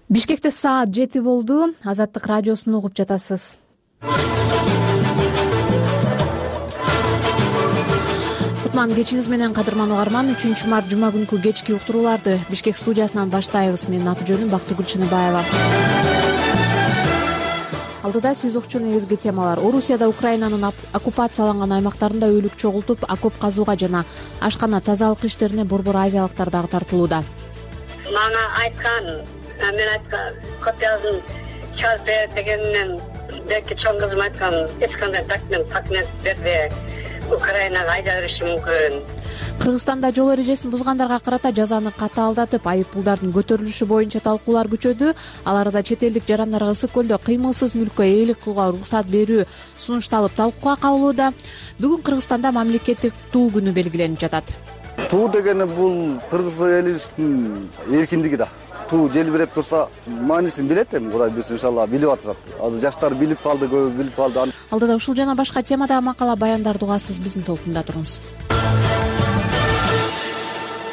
Бишкекте саат 7 болду. Азаттык радиосун угуп жатасыз. Кутман кечиңиз менен кадырман угарман. 3-март жума күнкү кечки уктурууларды Бишкек студиясынан баштайбыз. Менин аты-жөнүм Бактыгүл Чыныбаева. Алдыда сиз укчу негизги темалар. Орусияда Украинанын оккупацияланган аймактарында өлүк чогултуп, окоп казууга жана ашкана тазалык иштерине борбор азиялыктар дагы тартылууда. Мага айткан, мен айткан, копиясын чыгарып бер дегенинен белки чоң кызым айткан, эч кандай документ бербей Украинага айдап бериши мүмкүн. Кыргызстанда жол эрежесин бузгандарга карата жазаны катаалдатып, айыппулдардын көтөрүлүшү боюнча талкуулар күчөдү. Аларда чет элдик жарандарга ысык көлдө кыймылсыз мүлккө ээлик кылууга уруксат берүү сунушталып талкууга кабылууда. Бүгүн Кыргызстанда мамлекеттик туу күнү белгиленип жатат. Туу дегени бул кыргыз элибиздин эркиндиги да. Туу желбиреп турса, маанисин билет эми, Кудай буйрса иншалла билип атышат. Азыр жаштар билип калды, көбү билип калды. Алдыда ушул жана башка темадагы макала баяндар угасыз, биздин толкунда туруңуз.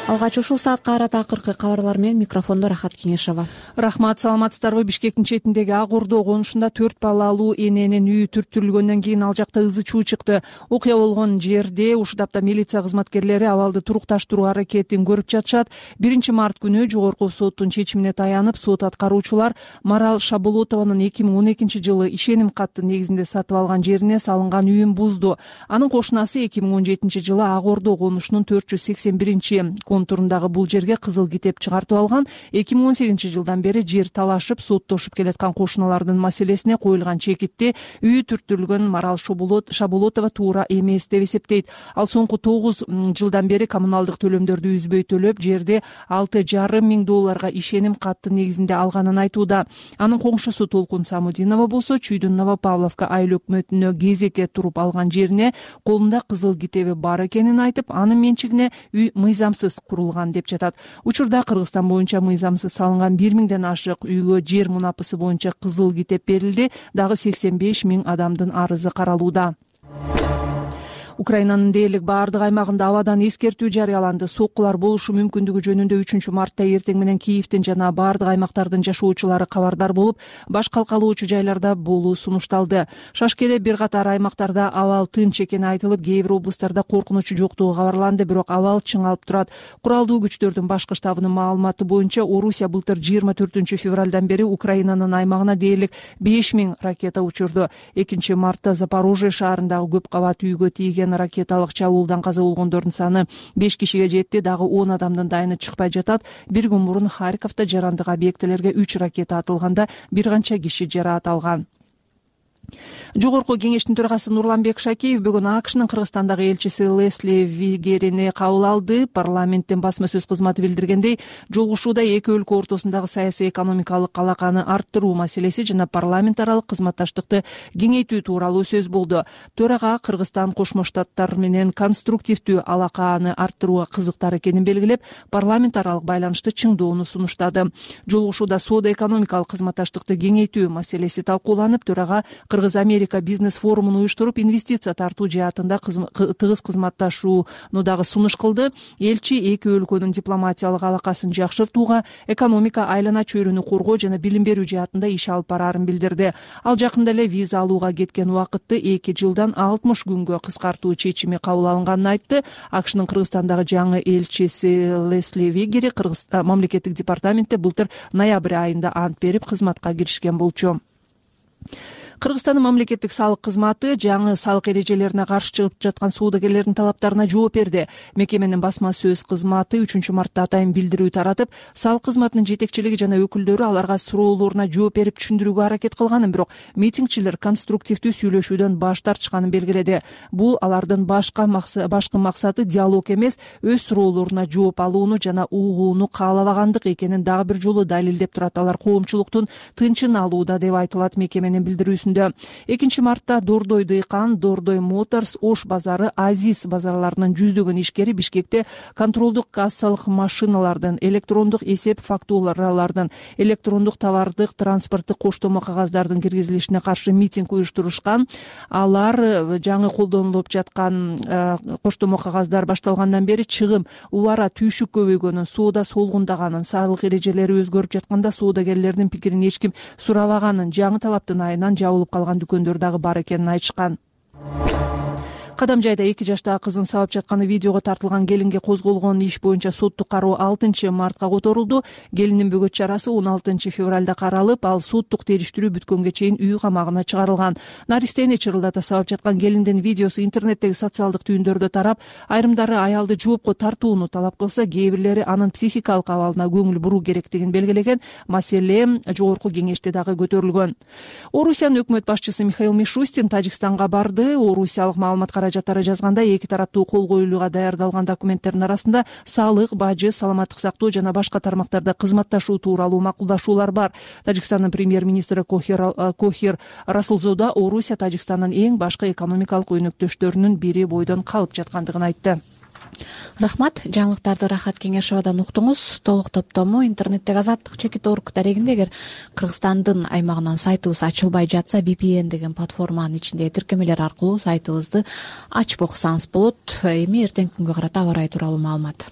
Алгач ушул саатка карата акыркы кабарлар менен микрофондо Рахат Кеңешова. Рахмат, саламатсыздарбы? Бишкектин четиндеги Ак Ордо конушунда 4 балалуу эненин үйү түрттүрүлгөндөн кийин ал жакта ызы чуу чыкты. Окуя болгон жерде ушдапта милиция кызматкерлери абалды турукташтыруу аракетин көрүп жатышат. 1-март күнү жогорку соттун чечимине таянып, сот аткаруучулар Марал Шаболотованын 2012-жылы ишеним каттын негизинде сатып алган жерине салынган үйүн бузду. Анын кошунасы 2017-жылы Ак Ордо конушунун 481-контурундагы бул жерге кызыл китеп чыгартып алган. 2018-жылдан бери жер талашып, соттошуп келаткан кошуналардын маселесине коюлган чекитти үйү түрттүрүлгөн Марал Шаболотова туура эмес деп эсептейт. Ал соңку 9 жылдан бери коммуналдык төлөмдөрдү үзбөй төлөп, жерди $6,5 миң ишеним каттын негизинде алганын айтууда. Анын коңшусу Толкун Самудинова болсо, Чүйдүн Новопавловка айыл өкмөтүнө кезекке туруп алган жерине колунда кызыл китеби бар экенин айтып, анын менчигине үй мыйзамсыз курулган деп жатат. Учурда Кыргызстан боюнча мыйзамсыз салынган 1000ден ашык үйгө жер мунапысы боюнча кызыл китеп берилди. Дагы 85 миң адамдын арызы каралууда. Украинанын дээрлик баардык аймагында абадан эскертүү жарыяланды. Соккулар болушу мүмкүндүгү жөнүндө 3-мартта эртең менен Киевдин жана баардык аймактардын жашоочулары кабардар болуп, баш калкалоочу жайларда болуу сунушталды. Шашкеде бир катар аймактарда абал тынч экени айтылып, кээ бир облустарда коркунучу жоктугу кабарланды, бирок абал чыңалып турат. Куралдуу күчтөрдүн башкы штабынын маалыматы боюнча, Орусия былтыр 24-февралдан бери Украинанын аймагына дээрлик 5000 ракета учурду. 2-мартта Запорожье шаарындагы көп кабат үйгө тийген ракеталык чабуулдан каза болгондордун саны 5 кишиге жетти. Дагы 10 адамдын дайыны чыкпай жатат. Бир күн мурун Харьковдо жарандык объектилерге 3 ракета атылганда бир канча киши жараат алган. Жогорку кеңештин төрагасы Нурланбек Шакеев бүгүн АКШнын Кыргызстандагы элчиси Лесли Вигерини кабыл алды. Парламенттин басма сөз кызматы билдиргендей, жолугушууда эки өлкө ортосундагы саясий экономикалык алаканы арттыруу маселеси жана парламент аралык кызматташтыкты кеңейтүү тууралуу сөз болду. Төрага Кыргызстан Кошмо Штаттар менен конструктивдүү алаканы арттырууга кызыктар экенин белгилеп, парламент аралык байланышты чыңдоону сунуштады. Жолугушууда соода-экономикалык кызматташтыкты кеңейтүү маселеси талкууланып, төрага Кыргыз-Америка бизнес форумун уюштуруп, инвестиция тартуу жаатында тыгыз кызматташууну дагы сунуш кылды. Элчи эки өлкөнүн дипломатиялык алакасын жакшыртууга, экономика айлана чөйрөнү коргоо жана билим берүү жаатында иш алып бараарын билдирди. Ал жакында эле виза алууга кеткен убакытты 2 жылдан 60 күнгө кыскартуу чечими кабыл алынганын айтты. АКШнын Кыргызстандагы жаңы элчиси Лесли Вигери мамлекеттик департаментте былтыр ноябрь айында ант берип кызматка киришкен болчу. Кыргызстандын мамлекеттик салык кызматы жаңы салык эрежелерине каршы чыгып жаткан соодагерлердин талаптарына жооп берди. Мекеменин басма сөз кызматы 3-мартта атайын билдирүү таратып, салык кызматынын жетекчилиги жана өкүлдөрү аларга суроолоруна жооп берип түшүндүрүүгө аракет кылганын, бирок митингчилер конструктивдүү сүйлөшүүдөн баш тартышканын белгиледи. Бул алардын башкы максаты диалог эмес, өз суроолоруна жооп алууну жана угууну каалабагандык экенин дагы бир жолу далилдеп турат. Алар коомчулуктун тынчын алууда деп айтылат мекеменин билдирүүсүндө. чөйрөсүндө. 2-мартта Дордой Дыйкан, Дордой Моторс, Ош базары, Азиз базарларынын жүздөгөн ишкери Бишкекте контролдук кассалык машиналардын, электрондук эсеп фактуралардын, электрондук товардык транспорттук коштомо кагаздардын киргизилишине каршы митинг уюштурушкан. Алар жаңы колдонулуп жаткан коштомо кагаздар башталгандан бери чыгым, убара, түйшүк көбөйгөнүн, соода солгундаганын, салык эрежелери өзгөрүп жатканда соодагерлердин пикирин эч ким сурабаганын, жаңы талаптын айынан жабылып калган дүкөндөр дагы бар экенин айтышкан. Кадам жайда 2 жаштагы кызын сабап жатканы видеого тартылган келинге козголгон иш боюнча соттук кароо 6-мартка которулду. Келиндин бөгөт чарасы 16-февралда каралып, ал соттук териштирүү бүткөнгө чейин үй камагына чыгарылган. Наристени чырылдата сабап жаткан келиндин видеосу интернеттеги социалдык түйүндөрдө тарап, айрымдары аялды жоопко тартууну талап кылса, кээ бирлери анын психикалык абалына көңүл буруу керектигин белгилеген. Маселе жогорку кеңеште дагы көтөрүлгөн. Орусиянын өкмөт башчысы Михаил Мишустин Тажикстанга барды. Орусиялык маалымат каражаттары жазганда, эки тараптуу кол коюлууга даярдалган документтердин арасында салык, бажы, саламаттык сактоо жана башка тармактарда кызматташуу тууралуу макулдашуулар бар. Тажикстандын премьер-министри Кохир Расулзода Орусия Тажикстандын эң башкы экономикалык өнөктөштөрүнүн бири бойдон калып жаткандыгын айтты. Рахмат. Жаңылыктарды Рахат Кеңешовадан уктуңуз. Толук топтому интернеттеги Азаттык.org дарегинде, эгер Кыргызстандын аймагынан сайтыбыз ачылбай жатса, VPN деген платформанын ичиндеги тиркемелер аркылуу сайтыбызды ачып окусаңыз болот. Эми эртеңки күнгө карата аба ырайы тууралуу маалымат.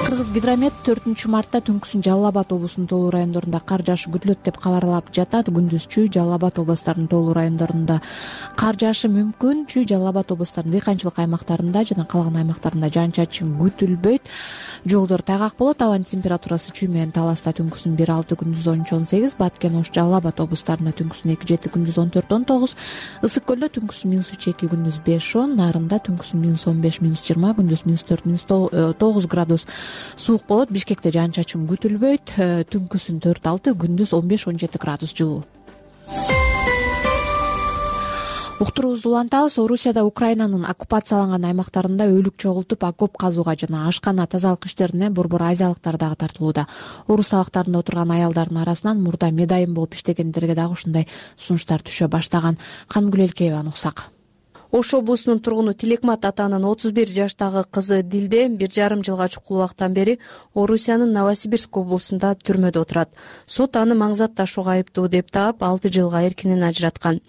Кыргызгидромет 4-мартта түнкүсүн Жалал Абад облусунун тоолуу райондорунда кар жаашы күтүлөт деп кабарлап жатат. Күндүзчү Жалал Абад областарынын тоолуу райондорунда кар жаашы мүмкүн. Жалал Абад областарынын дыйканчылык аймактарында жана калган аймактарында жаан-чачын күтүлбөйт. Жолдор тайгак болот. Абанын температурасы Чүй менен Таласта түнкүсүн 1-6, күндүз 13-18, Баткен, Ош, Жалал Абад областарында түнкүсүн 2-7, күндүз 14-19, Ысык көлдө түнкүсүн -3-2, күндүз 5-10, Нарында түнкүсүн -15, -20, күндүз -4, -9 градус суук болот. Бишкекте жаан-чачын күтүлбөйт. Түнкүсүн 4-6, күндүз 15-17 градус жылуу. Уктуруубузду улантабыз. Орусияда Украинанын оккупацияланган аймактарында өлүк чогултуп, окоп казууга жана ашкана тазалык иштерине борбор азиялыктар дагы тартылууда. Орус сабактарында отурган аялдардын арасынан мурда медайым болуп иштегендерге дагы ушундай сунуштар түшө баштаган. Кангүл Элкееваны уксак. Ош облусунун тургуну Тилекмат атанын 31 жаштагы кызы Дилде 1,5 жылга чукул убакыттан бери Орусиянын Новосибирск облусунда түрмөдө отурат. Сот аны маңзат ташууга айыптуу деп таап 6 жылга эркинен ажыраткан.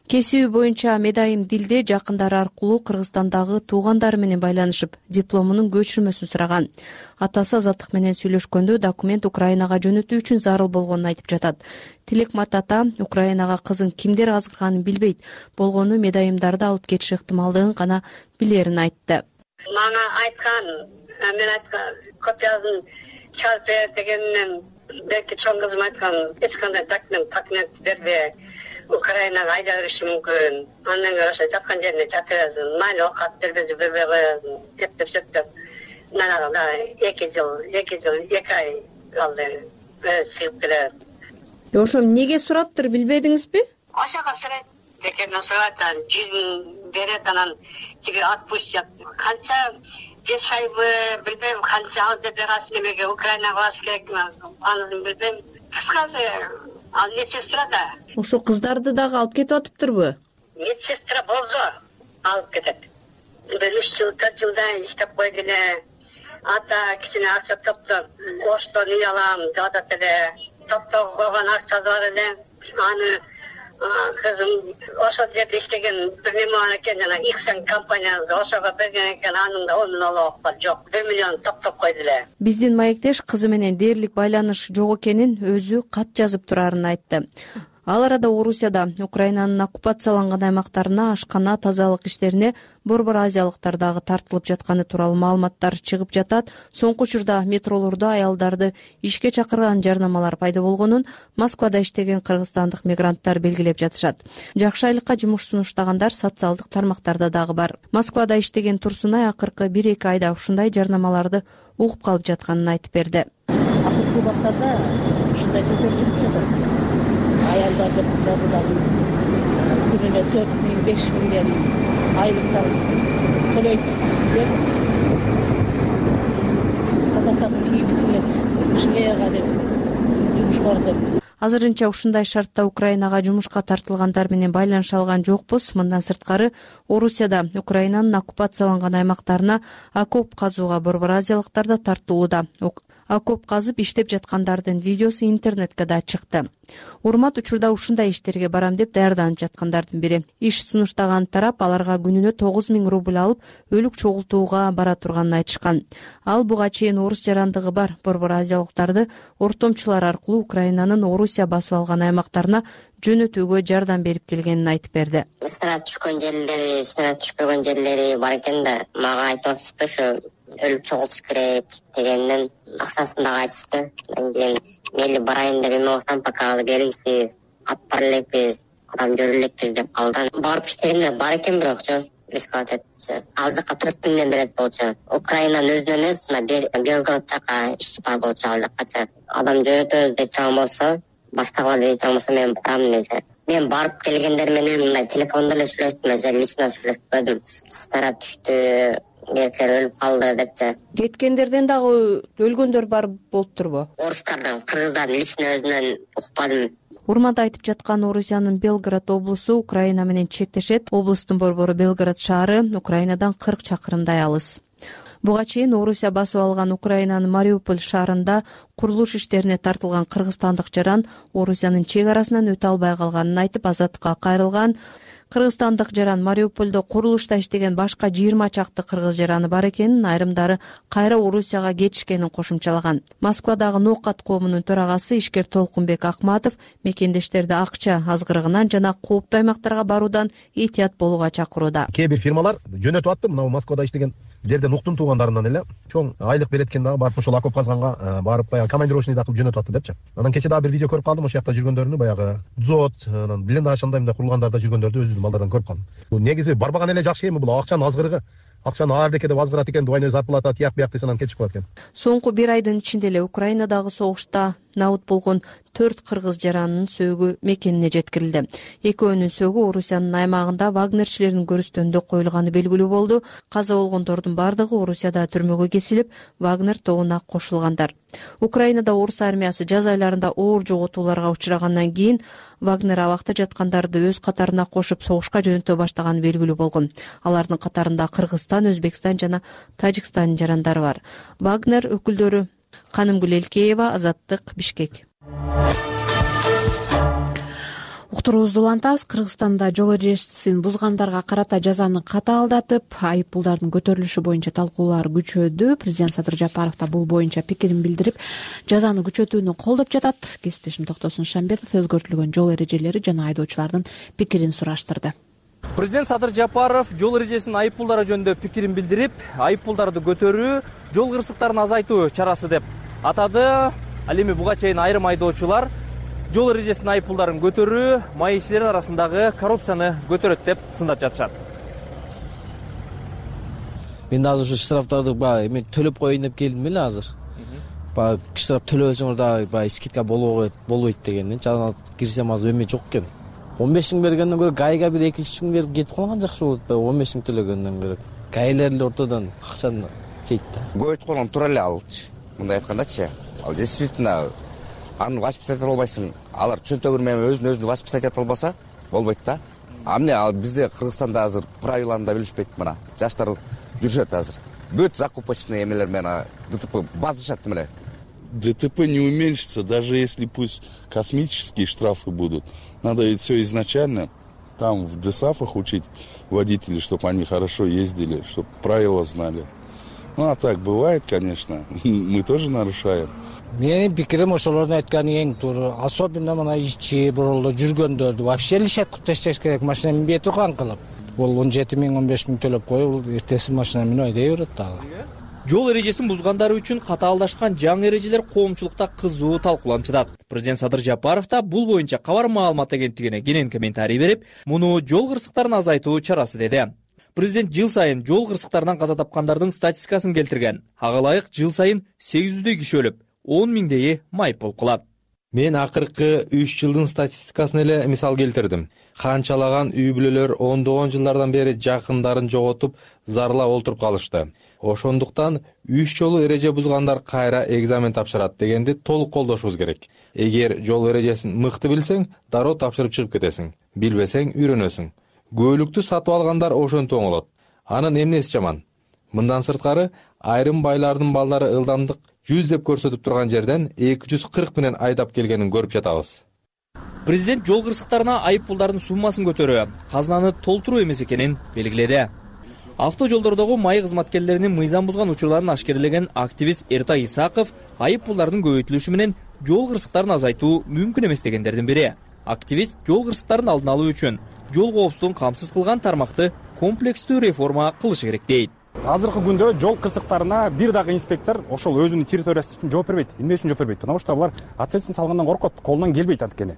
Кесиби боюнча медайым Дилде жакындары аркылуу Кыргызстандагы туугандары менен байланышып, дипломунун көчүрмөсүн сураган. Атасы Азаттык менен сүйлөшкөндө документ Украинага жөнөтүү үчүн зарыл болгонун айтып жатат. Тилекмат ата Украинага кызын кимдер азгырганын билбейт, болгону медайымдарды алып кетиши ыктымалдыгын гана билерин айтты. Мага айткан, мен айткан, копиясын чалып бер дегенинен белки чоң кызым айткан, эч кандай документ бербей Украинага айдап бериши мүмкүн. Андан көрө жаткан жерине жатып берсин, майли окат бербей коесун, деп. Мен ага 2 ай алды. Сыйып келет. Ошо эмнеге сураптыр билбедиңизби? Ошого сурайт. Декемden сурайт, жүзүн берет, анан тиги отпустят. Канча 5 ай билбейм, канча ал деп берасың демеге Украинага барыш керек, аны билбейм. Кыскасы, ал медсестра да. Ошо кыздарды дагы алып кетип атыптырбы? Медсестра болсо алып кетет. 3 жыл, 4 жылдан иштеп койду эле. Ата кичине акча топтоп, Оштон үй алам деп атат эле. Топтоп койгон акчасы бар эле. Аны кызым ошол жерде иштеген бир неме бар экен, жана Иксен компаниясы ошого берген экен, анын да 10 миң алып бар. Жок, 1 миллион топтоп койду эле. Биздин маектеш кызы менен дээрлик байланыш жок экенин өзү кат жазып турарын айтты. Ал арада Орусияда Украинанын оккупацияланган аймактарына ашкана тазалык иштерине борбор азиялыктар дагы тартылып жатканы тууралуу маалыматтар чыгып жатат. Соңку учурда метролордо аялдарды ишке чакырган жарнамалар пайда болгонун Москвада иштеген кыргызстандык мигранттар белгилеп жатышат. Жакшы айлыкка жумуш сунуштагандар социалдык тармактарда дагы бар. Москвада иштеген Турсунай акыркы 1-2 айда ушундай жарнамаларды угуп калып жатканын айтып берди. Акыркы убактарда ушундай көтөрүлүп жатат. Аялдарды кызарды дагы күнүнө 4 миң, 5 миңден айлыктар төлөйт деп сабаттагы кийими тигилет, шлеяга деп жумуш бар деп. Азырынча ушундай шартта Украинага жумушка тартылгандар менен байланыша алган жокпуз. Мындан сырткары Орусияда Украинанын оккупацияланган аймактарына окоп казууга борбор азиялыктар да тартылууда. Окоп казып иштеп жаткандардын видеосу интернетке да чыкты. Урмат учурда ушундай иштерге барам деп даярданып жаткандардын бири. Иш сунуштаган тарап аларга күнүнө 9000 рубль алып, өлүк чогултууга бара турганын айтышкан. Ал буга чейин орус жарандыгы бар борбор азиялыктарды ортомчулар аркылуу Украинанын Орусия басып алган аймактарына жөнөтүүгө жардам берип келгенин айтып берди. Снаряд түшкөн жерлери, снаряд түшпөгөн жерлери бар экен да, мага айтып атышты ушу өлүк чогултуш керек дегенден акчасын дагы айтышты. Мен мейли барайын деп эме болсам, пока бериңиз, ап бара элекпиз, адам көрө элекпиз деп калды. Барып иштегенде бар экен, бирокчу рисковать этчи. Ал жака 4000 миңден берет болчу. Украинанын өзүнө эмес, Белгород жака иш бар болчу, ал жакачы. Адам жөнөтөбүз деп турган болсо, баштагыла деп турган болсо мен барам дечи. Мен барып келгендер менен мындай телефондо эле сүйлөштүм, лично сүйлөшпөдүм. Снаряд түштү, эркектер өлүп калды депчи. Кеткендерден дагы өлгөндөр бар болуптурбу? Орустардан, кыргыздардан лично өзүнөн укпадым. Урмат айтып жаткан Орусиянын Белгород облусу Украина менен чектешет. Облустун борбору Белгород шаары Украинадан 40 чакырымдай алыс. Буга чейин Орусия басып алган Украинанын Мариуполь шаарында курулуш иштерине тартылган кыргызстандык жаран Орусиянын чек арасынан өтө албай калганын айтып азаттыкка кайрылган. Кыргызстандык жаран Мариупольдо курулушта иштеген башка 20 чакты кыргыз жараны бар экенин, айрымдары кайра Орусияга кетишкенин кошумчалаган. Москвадагы Ноокат коомунун төрагасы ишкер Толкунбек Акматов мекендештерди акча азгырыгынан жана кооптуу аймактарга баруудан этият болууга чакырууда. Кээ бир фирмалар жөнөтүп аттым, мына Москвада иштеген жерден уктун туугандарынан эле чоң айлык берет экен дагы, барып ошол окоп казганга барып баягы командировочныйда кылып жөнөтүп атты депчи. Анан кече дагы бир видео көрүп калдым, ошол жакта жүргөндөрүнү, баягы дзот, анан блиндаж андай мындай курулгандарда жүргөндөрдү өзүм балдардан көрүп калдым. Негизи барбаган эле жакшы эми, бул акчанын азгырыгы. Акчаны ардеке деп азгырат экен, двойной зарплата тияк бияк десе анан кетишип калат экен. Соңку бир айдын ичинде эле Украинадагы согушта набыт болгон 4 кыргыз жаранынын сөөгү мекенине жеткирилди. Экөөнүн сөөгү Орусиянын аймагында вагнерчилердин көрүстөнүндө коюлганы белгилүү болду. Каза болгондордун бардыгы Орусияда түрмөгө кесилип, Вагнер тобуна кошулгандар. Украинада орус армиясы жаз айларында оор жоготууларга учурагандан кийин Вагнер абакта жаткандарды өз катарына кошуп согушка жөнөтө баштаганы белгилүү болгон. Алардын катарында Кыргызстан, Өзбекстан жана Тажикстандын жарандары бар. Вагнер өкүлдөрү Канымгүл Элкеева, Азаттык, Бишкек. Уктуруубузду улантабыз. Кыргызстанда жол эрежесин бузгандарга карата жазаны катаалдатып, айыппулдардын көтөрүлүшү боюнча талкуулар күчөдү. Президент Садыр Жапаров да бул боюнча пикирин билдирип, жазаны күчөтүүнү колдоп жатат. Кесиптешим Токтосун Шамбетов өзгөртүлгөн жол эрежелери жана айдоочулардын пикирин сураштырды. Президент Садыр Жапаров жол эрежесинин айыппулдары жөнүндө пикирин билдирип, айыппулдарды көтөрүү жол кырсыктарын азайтуу чарасы деп атады. Ал эми буга чейин айрым айдоочулар жол эрежесинин айыппулдарын көтөрүү маекчилер арасындагы коррупцияны көтөрөт деп сындап жатышат. Мен да азыр ушу штрафтарды эме төлөп коеюн деп келдим эле азыр. Штраф төлөбөсөңөр дагы скидка болбойт дегенден жана кирсем азыр эме жок экен. 15 миң бергенден көрө гайга бир 2-3 миң берип кетип калган жакшы болот. 15 миң төлөгөндөн көрө гайлер эле ортодон акчаны жейт да. Көйт болгон туура эле алчы. Мындай айткандачы, ал действительно аны воспитать албайсың. Алар чөнтөгүр менен өзүн воспитать албаса болбойт да. Эмне ал бизде Кыргызстанда азыр правиланы да билишпейт мына. Жаштар жүрүшөт азыр. Бүт закупочный эмелер менен ДТП базышат эле. ДТП не уменьшится, даже если пусть космические штрафы будут. Надо ведь все изначально там в ДСАФах учить водителей, чтобы они хорошо ездили, чтобы правила знали. Ну а так бывает, конечно, мы тоже нарушаем. Менин пикирим ошолордун айтканы эң туура. Особенно мына ичи бурулду жүргөндөрдү вообще лишаткып ташташ керек, машина минбей турган кылып. Бул 17 миң 15 миң төлөп коюп, эртеси машина минип айдай берет дагы. Жол эрежесин бузгандары үчүн катаалдашкан жаңы эрежелер коомчулукта кызуу талкууланып жатат. Президент Садыр Жапаров да бул боюнча Кабар маалымат агенттигине кенен комментарий берип, муну жол кырсыктарын азайтуу чарасы деди. Президент жыл сайын жол кырсыктарынан каза тапкандардын статистикасын келтирген. Ага ылайык жыл сайын 800дөй киши өлүп, 10 миңдейи майыппул кылат. Мен акыркы 3 жылдын статистикасын эле мисал келтирдим. Канчалаган үй бүлөлөр ондогон жылдардан бери жакындарын жоготуп, зарлап олтуруп калышты. Ошондуктан 3 жолу эреже бузгандар кайра экзамен тапшырат дегенди толук колдошубуз керек. Эгер жол эрежесин мыкты билсең, дароо тапшырып чыгып кетесиң. Билбесең үйрөнөсүң. Көөлүктү сатып алгандар ошентип оңолот. Анын эмнеси жаман? Мындан сырткары айрым байлардын балдары ылдамдык 100 деп көрсөтүп турган жерден 240 менен айдап келгенин көрүп жатабыз. Президент жол кырсыктарына айып пулдардын суммасын көтөрүү, казынаны толтуруу эмес экенин белгиледи. Авто жолдордогу май кызматкерлеринин мыйзам бузган учурларын ашкерелеген активист Эртай Исаков айып пулдардын көбөйтүлүшү менен жол кырсыктарын азайтуу мүмкүн эмес дегендердин бири. Активист жол кырсыктарын алдын алуу үчүн жол коопсуздугун камсыз кылган тармакты комплекстүү реформа кылышы керек дейт. Азыркы күндө жол кырсыктарына бир дагы инспектор ошол өзүнүн территориясы үчүн жооп бербейт. Эмне үчүн жооп бербейт? Потому что алар ответственность салгандан коркот, колунан келбейт анткени.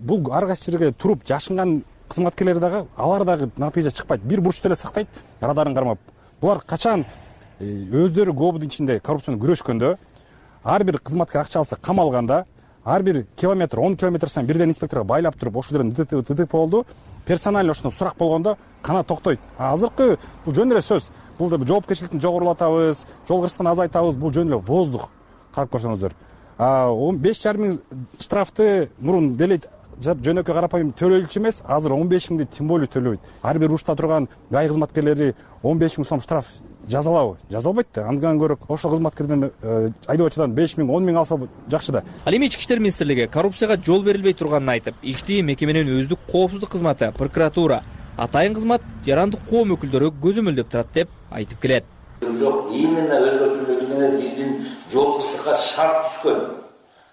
Бул ар кайсы жерге туруп жашынган кызматкерлер дагы, алар дагы натыйжа чыкпайт. Бир бурчту эле сактайт, радарын кармап. Булар качан өздөрү ГОБдун ичинде коррупцияны күрөшкөндө, ар бир кызматкер акча алса камалганда, ар бир километр, 10 километр сайын бирден инспекторго байлап туруп, ошол жерден ДТП болду, персонально ошондо сурак болгондо кана токтойт. Азыркы бул жөн эле сөз. Бул да жоопкерчиликти жогорулатабыз, жол кырсыктын азайтабыз, бул жөн эле воздух. Карап көрсөңүздөр. 15,5 миң штрафты мурун делейт жөнөкөй карапайым төлөөлчү эмес, азыр 15 миңди тем более төлөбөйт. Ар бир урушта турган гай кызматкерлери 15 миң сом штраф жазалабы? Жазалбайт да. Андан көрө ошол кызматкерден айдоочудан 5 миң, 10 миң алса жакшы да. Ал эми Ички иштер министрлиги коррупцияга жол берилбей турганын айтып, ишти мекеменин өздүк коопсуздук кызматы, прокуратура, атайын кызмат, жарандык коом өкүлдөрү көзөмөлдөп турат деп айтып келет. Жок, именно өзгөртүүлөр биздин жол кырсыкка шарт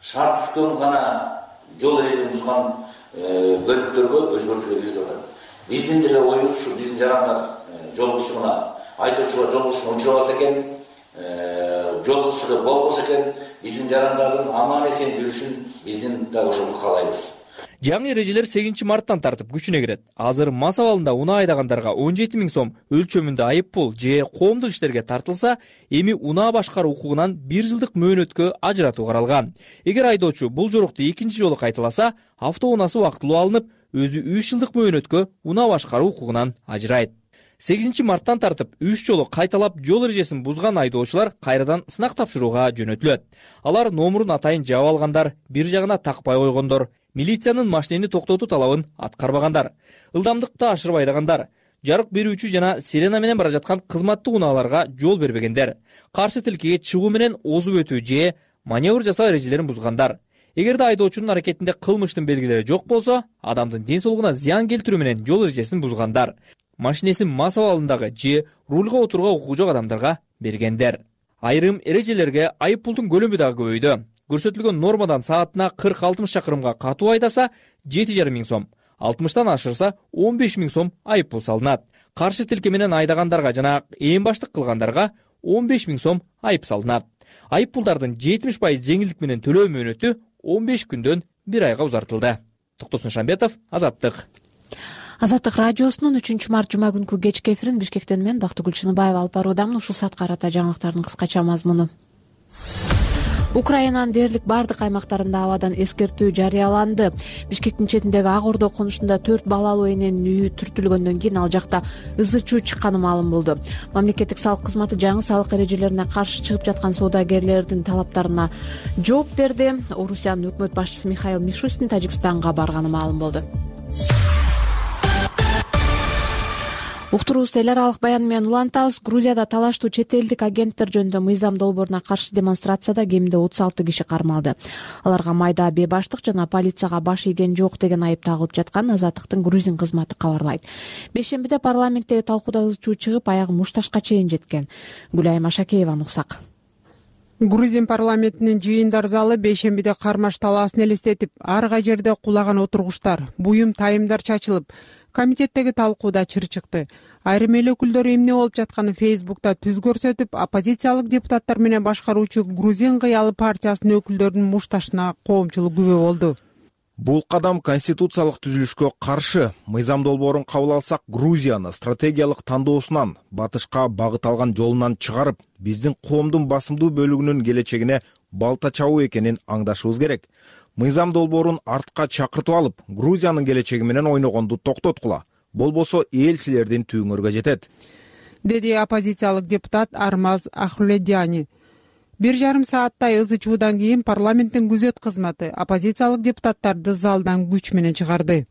түшкөн гана жол эрежесин бузган бөлүктөргө өзгөртүүлөр киргизип атат. Биздин деле оюбуз ушу, биздин жарандар жол кырсыгына, айдоочулар жол кырсыгына учурабаса экен, жол кырсыгы болбосо экен, биздин жарандардын аман эсен жүрүшүн биздин да ошону каалайбыз. Жаңы эрежелер 8 марттан тартып күчүнө кирет. Азыр мас абалында унаа айдагандарга 17 миң сом өлчөмүндө айып пул же коомдук иштерге тартылса, эми унаа башкаруу укугунан 1 жылдык мөөнөткө ажыратуу каралган. Эгер айдоочу бул жорукту экинчи жолу кайталаса, автоунаасы убактылуу алынып, өзү 3 жылдык мөөнөткө унаа башкаруу укугунан ажырайт. 8 марттан тартып 3 жолу кайталап жол эрежесин бузган айдоочулар кайрадан сынак тапшырууга жөнөтүлөт. Алар номурун атайын жаап алгандар, бир жагына такпай койгондор, милициянын машинени токтотуу талабын аткарбагандар, ылдамдыкты ашырып айдагандар, жарык берүүчү жана сирена менен бара жаткан кызматтык унааларга жол бербегендер, каршы тилкеге чыгуу менен озуп өтүү же маневр жасоо эрежелерин бузгандар. Эгерде айдоочунун аракетинде кылмыштын белгилери жок болсо, адамдын ден соолугуна зыян келтирүү менен жол эрежесин бузгандар, машинесин мас абалындагы же рульга отурууга укугу жок адамдарга бергендер. Айрым эрежелерге айып пулдун көлөмү дагы көбөйдү. Көрсөтүлгөн нормадан саатына 40-60 чакырымга катуу айдаса 7,5 миң сом, 60тан ашырса 15 миң сом айып пул салынат. Каршы тилке менен айдагандарга жана ээн баштык кылгандарга 15 миң сом айып салынат. Айып пулдардын 70% жеңилдик менен төлөө мөөнөтү 15 күндөн 1 айга узартылды. Токтосун Шамбетов, Азаттык. Азаттык радиосунун 3 март жума күнкү кечки эфирин Бишкектен мен Бактыгүл Чыныбаева алып баруудамын. Ушул саатка карата жаңылыктардын кыскача мазмуну. Украинанын дээрлик бардык аймактарында абадан эскертүү жарыяланды. Бишкектин четиндеги Ак Ордо конушунда 4 балалуу эненин үйү түртүлгөндөн кийин ал жакта ызы чуу чыкканы маалым болду. Мамлекеттик салык кызматы жаңы салык эрежелерине каршы чыгып жаткан соодагерлердин талаптарына жооп берди. Орусиянын өкмөт башчысы Михаил Мишустин Тажикстанга барганы маалым болду. Уктуруубузду эл аралык баян менен улантабыз. Грузияда талаштуу чет элдик агенттер жөнүндө мыйзам долбооруна каршы демонстрацияда кеминде 36 киши кармалды. Аларга майда бебаштык жана полицияга баш ийген жок деген айып тагылып жаткан Азаттыктын грузин кызматы кабарлайт. Бейшембиде парламенттеги талкууда ызы чуу чыгып, аягы мушташка чейин жеткен. Гүлайым Ашакееваны уксак. Грузин парламентинин жыйындар залы бейшембиде кармаш талаасын элестетип, ар кай жерде кулаган отургучтар, буюм тайымдар чачылып, комитеттеги талкууда чыр чыкты. Айрым эл өкүлдөрү эмне болуп жатканын Фейсбукта түз көрсөтүп, оппозициялык депутаттар менен башкаруучу Грузин кыялы партиясынын өкүлдөрүнүн мушташына коомчулук күбө болду. Бул кадам конституциялык түзүлүшкө каршы. Мыйзам долбоорун кабыл алсак, Грузияны стратегиялык тандоосунан, батышка багыт алган жолунан чыгарып, биздин коомдун басымдуу бөлүгүнүн келечегине балта чабуу экенин аңдашыбыз керек. Мыйзам долбоорун артка чакыртып алып, Грузиянын келечеги менен ойногонду токтоткула. Болбосо эл силердин түйүңөргө жетет. деди оппозициялык депутат Армаз Ахледяни. 1,5 сааттай ызы чуудан кийин парламенттин күзөт кызматы оппозициялык депутаттарды залдан күч менен чыгарды.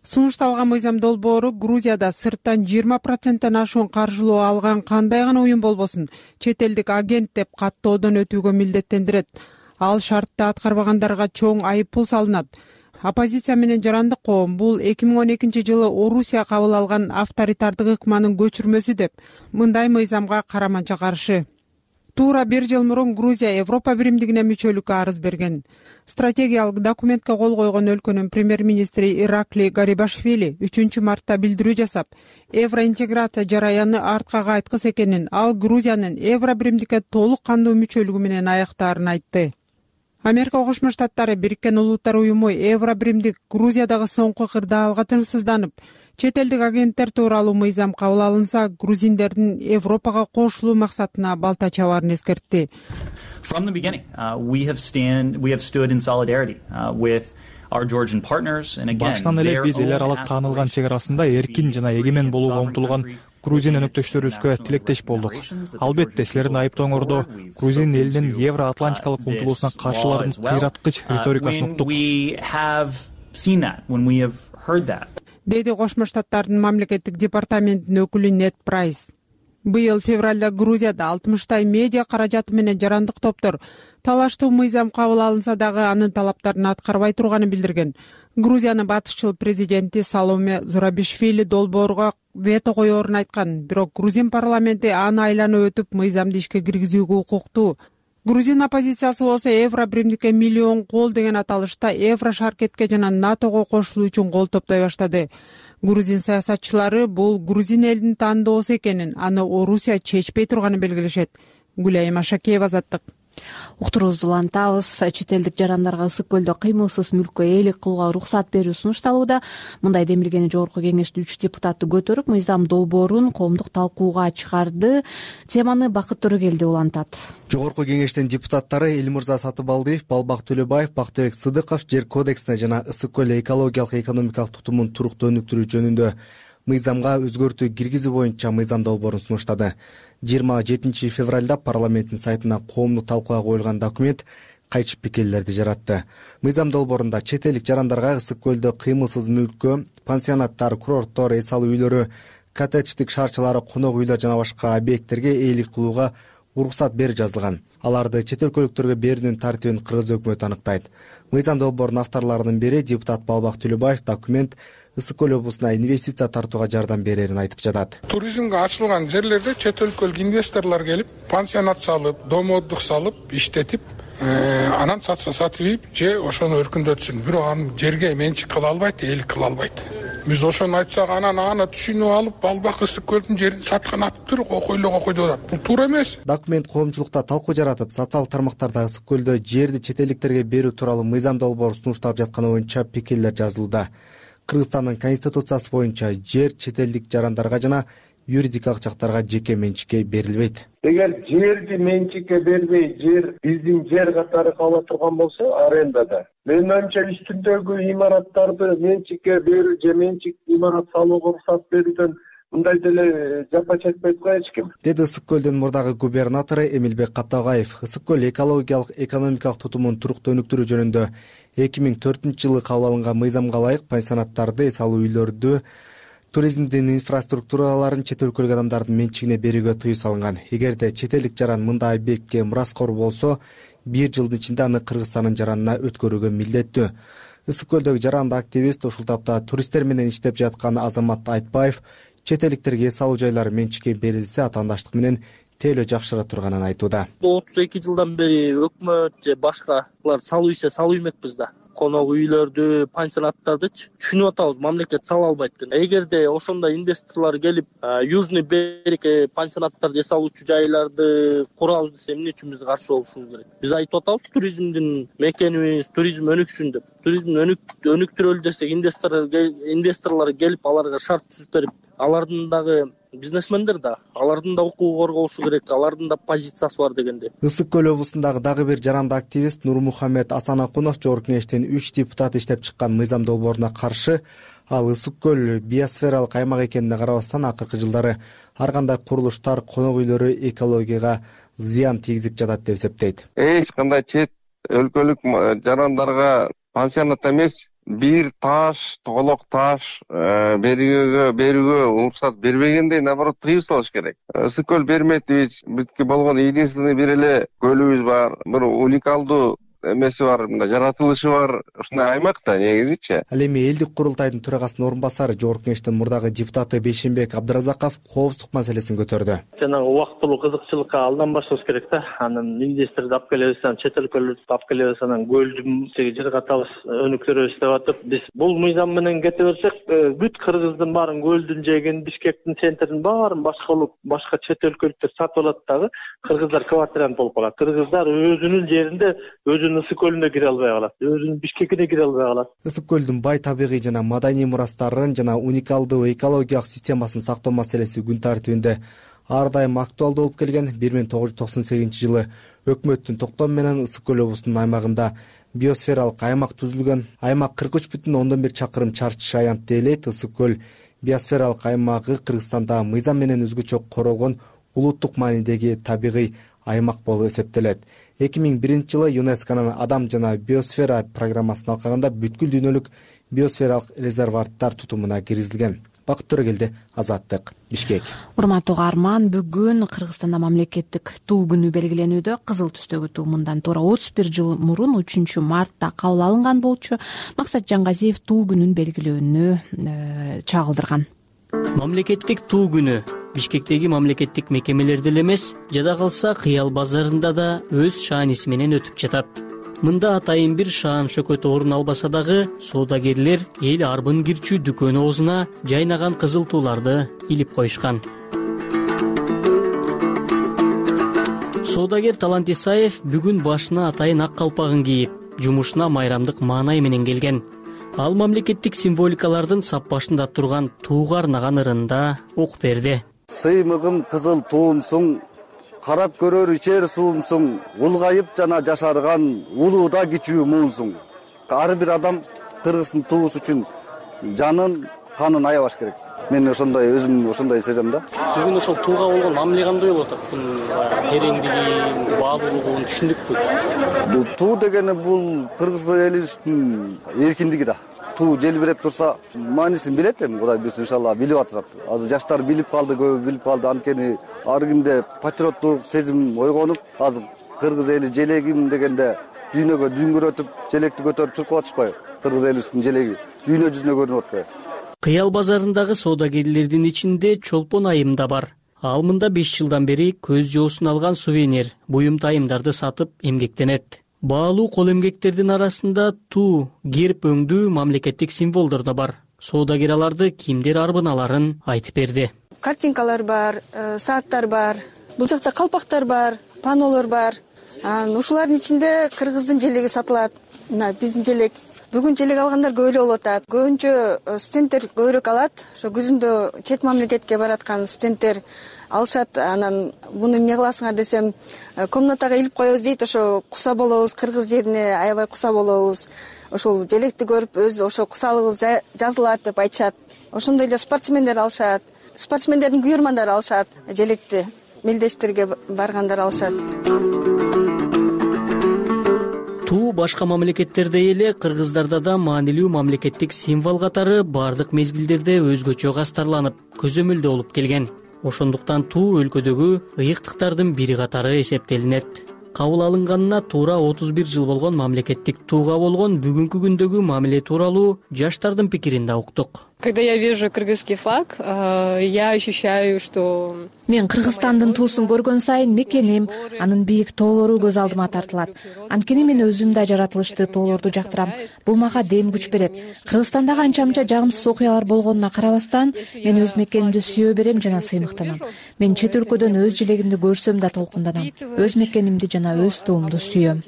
Сунушталган мыйзам долбоору Грузияда сырттан 20%тен ашуун каржылоо алган кандай гана уюм болбосун чет элдик агент деп каттоодон өтүүгө милдеттендирет. Ал шартты аткарбагандарга чоң айыппул салынат. Оппозиция менен жарандык коом бул 2012-жылы Орусия кабыл алган авторитардык ыкманын көчүрмөсү деп мындай мыйзамга караманча каршы. Туура 1 жыл мурун Грузия Европа биримдигине мүчөлүккө арыз берген. Стратегиялык документке кол койгон өлкөнүн премьер-министри Иракли Гарибашвили 3-мартта билдирүү жасап, евроинтеграция жараяны артка кайткыс экенин, ал Грузиянын евро биримдикке толук кандуу мүчөлүгү менен аяктаарын айтты. Америка Кошмо Штаттары Бириккен Улуттар уюму евро биримдик Грузиядагы соңку кырдаалга тынчсызданып, чет элдик агенттер тууралуу мыйзам кабыл алынса, грузиндердин Европага кошулуу максатына балта чабаарын эскертти. From the beginning, we have stood in solidarity with our Georgian partners, and again, баштан эле биз эл аралык таанылган чек арасында эркин жана эгемен болууга умтулган Грузин өнөктөштөрүбүзгө тилектеш болдук. Албетте, силердин айыптооңордо Грузин элинин евроатлантикалык умтулуусуна каршылардын кыйраткыч риторикасын уктук. Деди Кошмо Штаттардын мамлекеттик департаментинин өкүлү Нет Прайс. Быйыл февралда Грузияда 60 медиа каражаты менен жарандык топтор талаштуу мыйзам кабыл алынса дагы анын талаптарын аткарбай турганын билдирген. Грузиянын батышчыл президенти Саломе Зурабишвили долбоорго вето коерун айткан, бирок грузин парламенти аны айланып өтүп мыйзамды ишке киргизүүгө укуктуу. Грузин оппозициясы болсо евро биримдикке миллион кол деген аталышта евро шаркетке жана НАТОго кошулуу үчүн кол топтой баштады. Грузин саясатчылары бул грузин элинин тандоосу экенин, аны Орусия чечпей турганын белгилешет. Гүлайым Ашакеева, Азаттык. Уктуруубузду улантабыз. Чет элдик жарандарга ысык көлдө кыймылсыз мүлккө ээлик кылууга уруксат берүү сунушталууда. Мындай демилгени жогорку кеңештин 3 депутаты көтөрүп, мыйзам долбоорун коомдук талкууга чыгарды. Теманы Бакыт Төрөгелди улантат. Жогорку кеңештин депутаттары Элмырза Сатыбалдиев, Балбак Төлөбаев, Бактыбек Сыдыков жер кодексине жана ысык көл экологиялык экономикалык тутумун туруктуу өнүктүрүү жөнүндө мыйзамга өзгөртүү киргизүү боюнча мыйзам долбоорун сунуштады. 27 февралда парламенттин сайтына коомдук талкууга коюлган документ кайчы пикирлерди жаратты. Мыйзам долбоорунда чет элдик жарандарга ысык көлдө кыймылсыз мүлккө, пансионаттар, курорттор, эс алуу үйлөрү, коттедждик шаарчалары, конок үйлөр жана башка объекттерге ээлик кылууга уруксат берип жазылган. Аларды чет өлкөлүктөргө берүүнүн тартибин Кыргыз өкмөтү аныктайт. Мыйзам долбоорунун авторлорунун бири депутат Балбак Төлөбаев документ ысык көл облусуна инвестиция тартууга жардам берерин айтып жатат. Туризмге ачылган жерлерде чет өлкөлүк инвесторлор келип, пансионат салып, дом отдых салып, иштетип, анан сатып же ошону өркүндөтсүн. Бирок аны жерге менчик кыла албайт, ээлик кыла албайт. Биз ошону айтсак, анан аны түшүнүп алып, Балбак ысык көлдүн жерин саткан атып койду атат. Бул туура эмес. Документ коомчулукта талкуу жаратып, социалдык тармактарда ысык көлдө жерди чет элдиктерге берүү тууралуу мыйзам долбоору сунушталып жатканы боюнча пикирлер жазылууда. Кыргызстандын конституциясы боюнча жер чет элдик жарандарга жана юридикалык жактарга жеке менчикке берилбейт. Эгер жерди менчикке бербей, жер биздин жер катары кала турган болсо, арендада, менин оюмча үстүндөгү имараттарды менчикке берүү же менчик имарат салууга уруксат берүүдөн мындай деле жапа чекпейт го эч ким. Деди ысык көлдүн мурдагы губернатору Эмилбек Капталгаев. Ысык көл экологиялык экономикалык тутумун туруктуу өнүктүрүү жөнүндө 2004-жылы кабыл алынган мыйзамга ылайык пансионаттарды, эс алуу үйлөрдү, туризмдин инфраструктураларын чет өлкөлүк адамдардын менчигине берүүгө тыюу салынган. Эгерде чет элдик жаран мындай объектке мураскор болсо, 1 жылдын ичинде аны Кыргызстандын жаранына өткөрүүгө милдеттүү. Ысык көлдөгү жаранды активист, ушул тапта туристтер менен иштеп жаткан Азамат Айтбаев чет элдиктерге эс алуу жайлары менчикке берилсе, атаандаштык менен тейлөө жакшыра турганын айтууда. 32 жылдан бери өкмөт же башкалар салуу иши салуу эмекпиз да. Конок үйлөрдү, пансионаттардычы түшүнүп атабыз, мамлекет сала албайт экен. Эгерде ошондой инвесторлор келип, Южный берег пансионаттарды эс алуучу жайларды курабыз десе, эмне үчүн биз каршы болушубуз керек? Биз айтып атабыз, туризмдин мекенибиз, туризм өнүксүн деп. Туризм өнүктүрөлү десек, инвесторлор келип, аларга шарт түзүп берип, алардын дагы бизнесмендер да, алардын да укугу корголушу керек, алардын да позициясы бар дегенде. Ысык көл облусундагы дагы бир жарандык активист Нурмухаммед Асанакунов Жогорку Кеңештин 3 депутаты иштеп чыккан мыйзам долбооруна каршы. Ал ысык көл биосфералык аймак экенине карабастан акыркы жылдары ар кандай курулуштар, конок үйлөрү экологияга зыян тийгизип жатат деп эсептейт. Эч кандай чет өлкөлүк жарандарга пансионат эмес, бир таш, тоголок таш берүүгө уруксат бербегендей, наоборот, тыюу салыш керек. Ысык көл бермейт дейбиз. Бизге болгон единственный бир эле көлүбүз бар. Бир уникалдуу эмеси бар, мындай жаратылышы бар ушундай аймак да негизичи. Ал эми элдик курултайдын төрагасынын орун басары, Жогорку Кеңештин мурдагы депутаты Бейшенбек Абдыразаков коопсуздук маселесин көтөрдү. Жанагы убактылуу кызыкчылыкка алданбашыбыз керек да. Анан инвесторду алып келебиз, анан чет өлкөлөрдү алып келебиз, анан көлдүн жер катабыз, өнүктүрөбүз деп атып, биз бул мыйзам менен кете берсек, бүт Кыргыздын баарын, көлдүн жээгин, Бишкектин центрин баарын башка чет өлкөлүктөр сатып алат дагы, кыргыздар квартирант болуп калат. Кыргыздар өзүнүн жеринде Ысык көлүнө кире албай калат, өзүнүн Бишкекине кире албай калат. Ысык көлдүн бай табигый жана маданий мурастарын жана уникалдуу экологиялык системасын сактоо маселеси күн тартибинде ар дайым актуалдуу болуп келген. 1998-жылы өкмөттүн токтому менен Ысык көл облусунун аймагында биосфералык аймак түзүлгөн. Аймак 43,1 чакырым чарчы шаянт дейлейт. Ысык көл биосфералык аймагы Кыргызстанда мыйзам менен өзгөчө королгон улуттук маанидеги табигый аймак болуп эсептелет. 2001-жылы ЮНЕСКОнун адам жана биосфера программасына алкаганда бүткүл дүйнөлүк биосфералык резерваттар тутумуна киргизилген. Бакыт Төрөгелди, Азаттык, Бишкек. Урматтуу угарман, бүгүн Кыргызстанда мамлекеттик туу күнү белгиленүүдө. Кызыл түстөгү туу мындан туура 31 жыл мурун 3 мартта кабыл алынган болчу. Максат Жаңгазиев туу күнүн белгилөөнү чагылдырган. Мамлекеттик туу күнү Бишкектеги мамлекеттик мекемелерде эле эмес, жада калса Кыял базарында да өз шааниси менен өтүп жатат. Мында атайын бир шаан шөкөт орун албаса дагы, соодагерлер эл арбын кирчүү дүкөн оозуна жайнаган кызыл тууларды илип коюшкан. Соодагер Талант Исаев бүгүн башына атайын ак калпагын кийип, жумушуна майрамдык маанай менен келген. Ал мамлекеттик символикалардын сап башында турган тууга арнаган ырында окуп берди. Сыймыгым кызыл туумсуң, карап көрөр ичер суумсуң, улгайып жана жашарган улууда кичүү муунсуң. Ар бир адам Кыргыздын туусу үчүн жанын, канын аябаш керек. Мен өзүм ошондой сезем да. Бүгүн ошол тууга болгон мамиле кандай болуп атат? Тереңдиги, баалуулугун түшүндүкпү? Бул туу дегени бул кыргыз элибиздин эркиндиги да. Туу желбиреп турса, маанисин билет эми, Кудай буйрса иншалла билип атышат. Азыр жаштар билип калды, көбү билип калды. Анткени ар кимде патриоттук сезим ойгонуп, азыр кыргыз эли желегим дегенде дүйнөгө дүңгүрөтүп, желекти көтөрүп чуркап атышпайбы? Кыргыз элибиздин желеги дүйнө жүзүнө көрүнүп атпайбы? Кыял базарындагы соодагерлердин ичинде Чолпон айым да бар. Ал мында 5 жылдан бери көз жоосун алган сувенир, буюм тайымдарды сатып эмгектенет. Баалуу кол эмгектердин арасында туу, герб өңдүү мамлекеттик символдор да бар. Соодагер аларды кимдер арбыналарын айтып берди. Картинкалар бар, сааттар бар, бул жакта калпактар бар, панолор бар. Ушулардын ичинде кыргыздын желеги сатылат. Мына биздин желек. Бүгүн желек алгандар көп эле болуп атат. Көбүнчө студенттер көбүрөөк алат. Ошо күзүндө чет мамлекетке бараткан студенттер алышат. Анан муну эмне кыласыңар десем, комнатага илип коебуз дейт. Ошо куса болобуз, кыргыз жерине аябай куса болобуз. Ошол желекти көрүп өз ошо кусалыгыбыз жазылат деп айтышат. Ошондой эле спортсмендер алышат. Спортсмендердин күйөрмандары алышат желекти. Мелдештерге баргандар алышат. Туу башка мамлекеттердей эле кыргыздарда да маанилүү мамлекеттик символ катары бардык мезгилдерде өзгөчө кастарланып, көзөмөлдө болуп келген. Ошондуктан туу өлкөдөгү ыйыктыктардын бири катары эсептелинет. Кабыл алынганына туура 31 жыл болгон мамлекеттик тууга болгон бүгүнкү күндөгү мамиле тууралуу жаштардын пикирин да уктук. Когда я вижу кыргызский флаг, я ощущаю, что... Мен Кыргызстандын туусун көргөн сайын мекеним, анын бийик тоолору көз алдыма тартылат. Анткени мен өзүм да жаратылышты тоолорду жактырам. Бул мага дем күч берет. Кыргызстандагы анча-мынча жагымсыз окуялар болгонуна карабастан, мен өз мекенимди сүйө берем жана сыймыктанам. Мен чет өлкөдөн өз желегимди көрсөм да толкунданам. Өз мекенимди жана өз туумду сүйөм.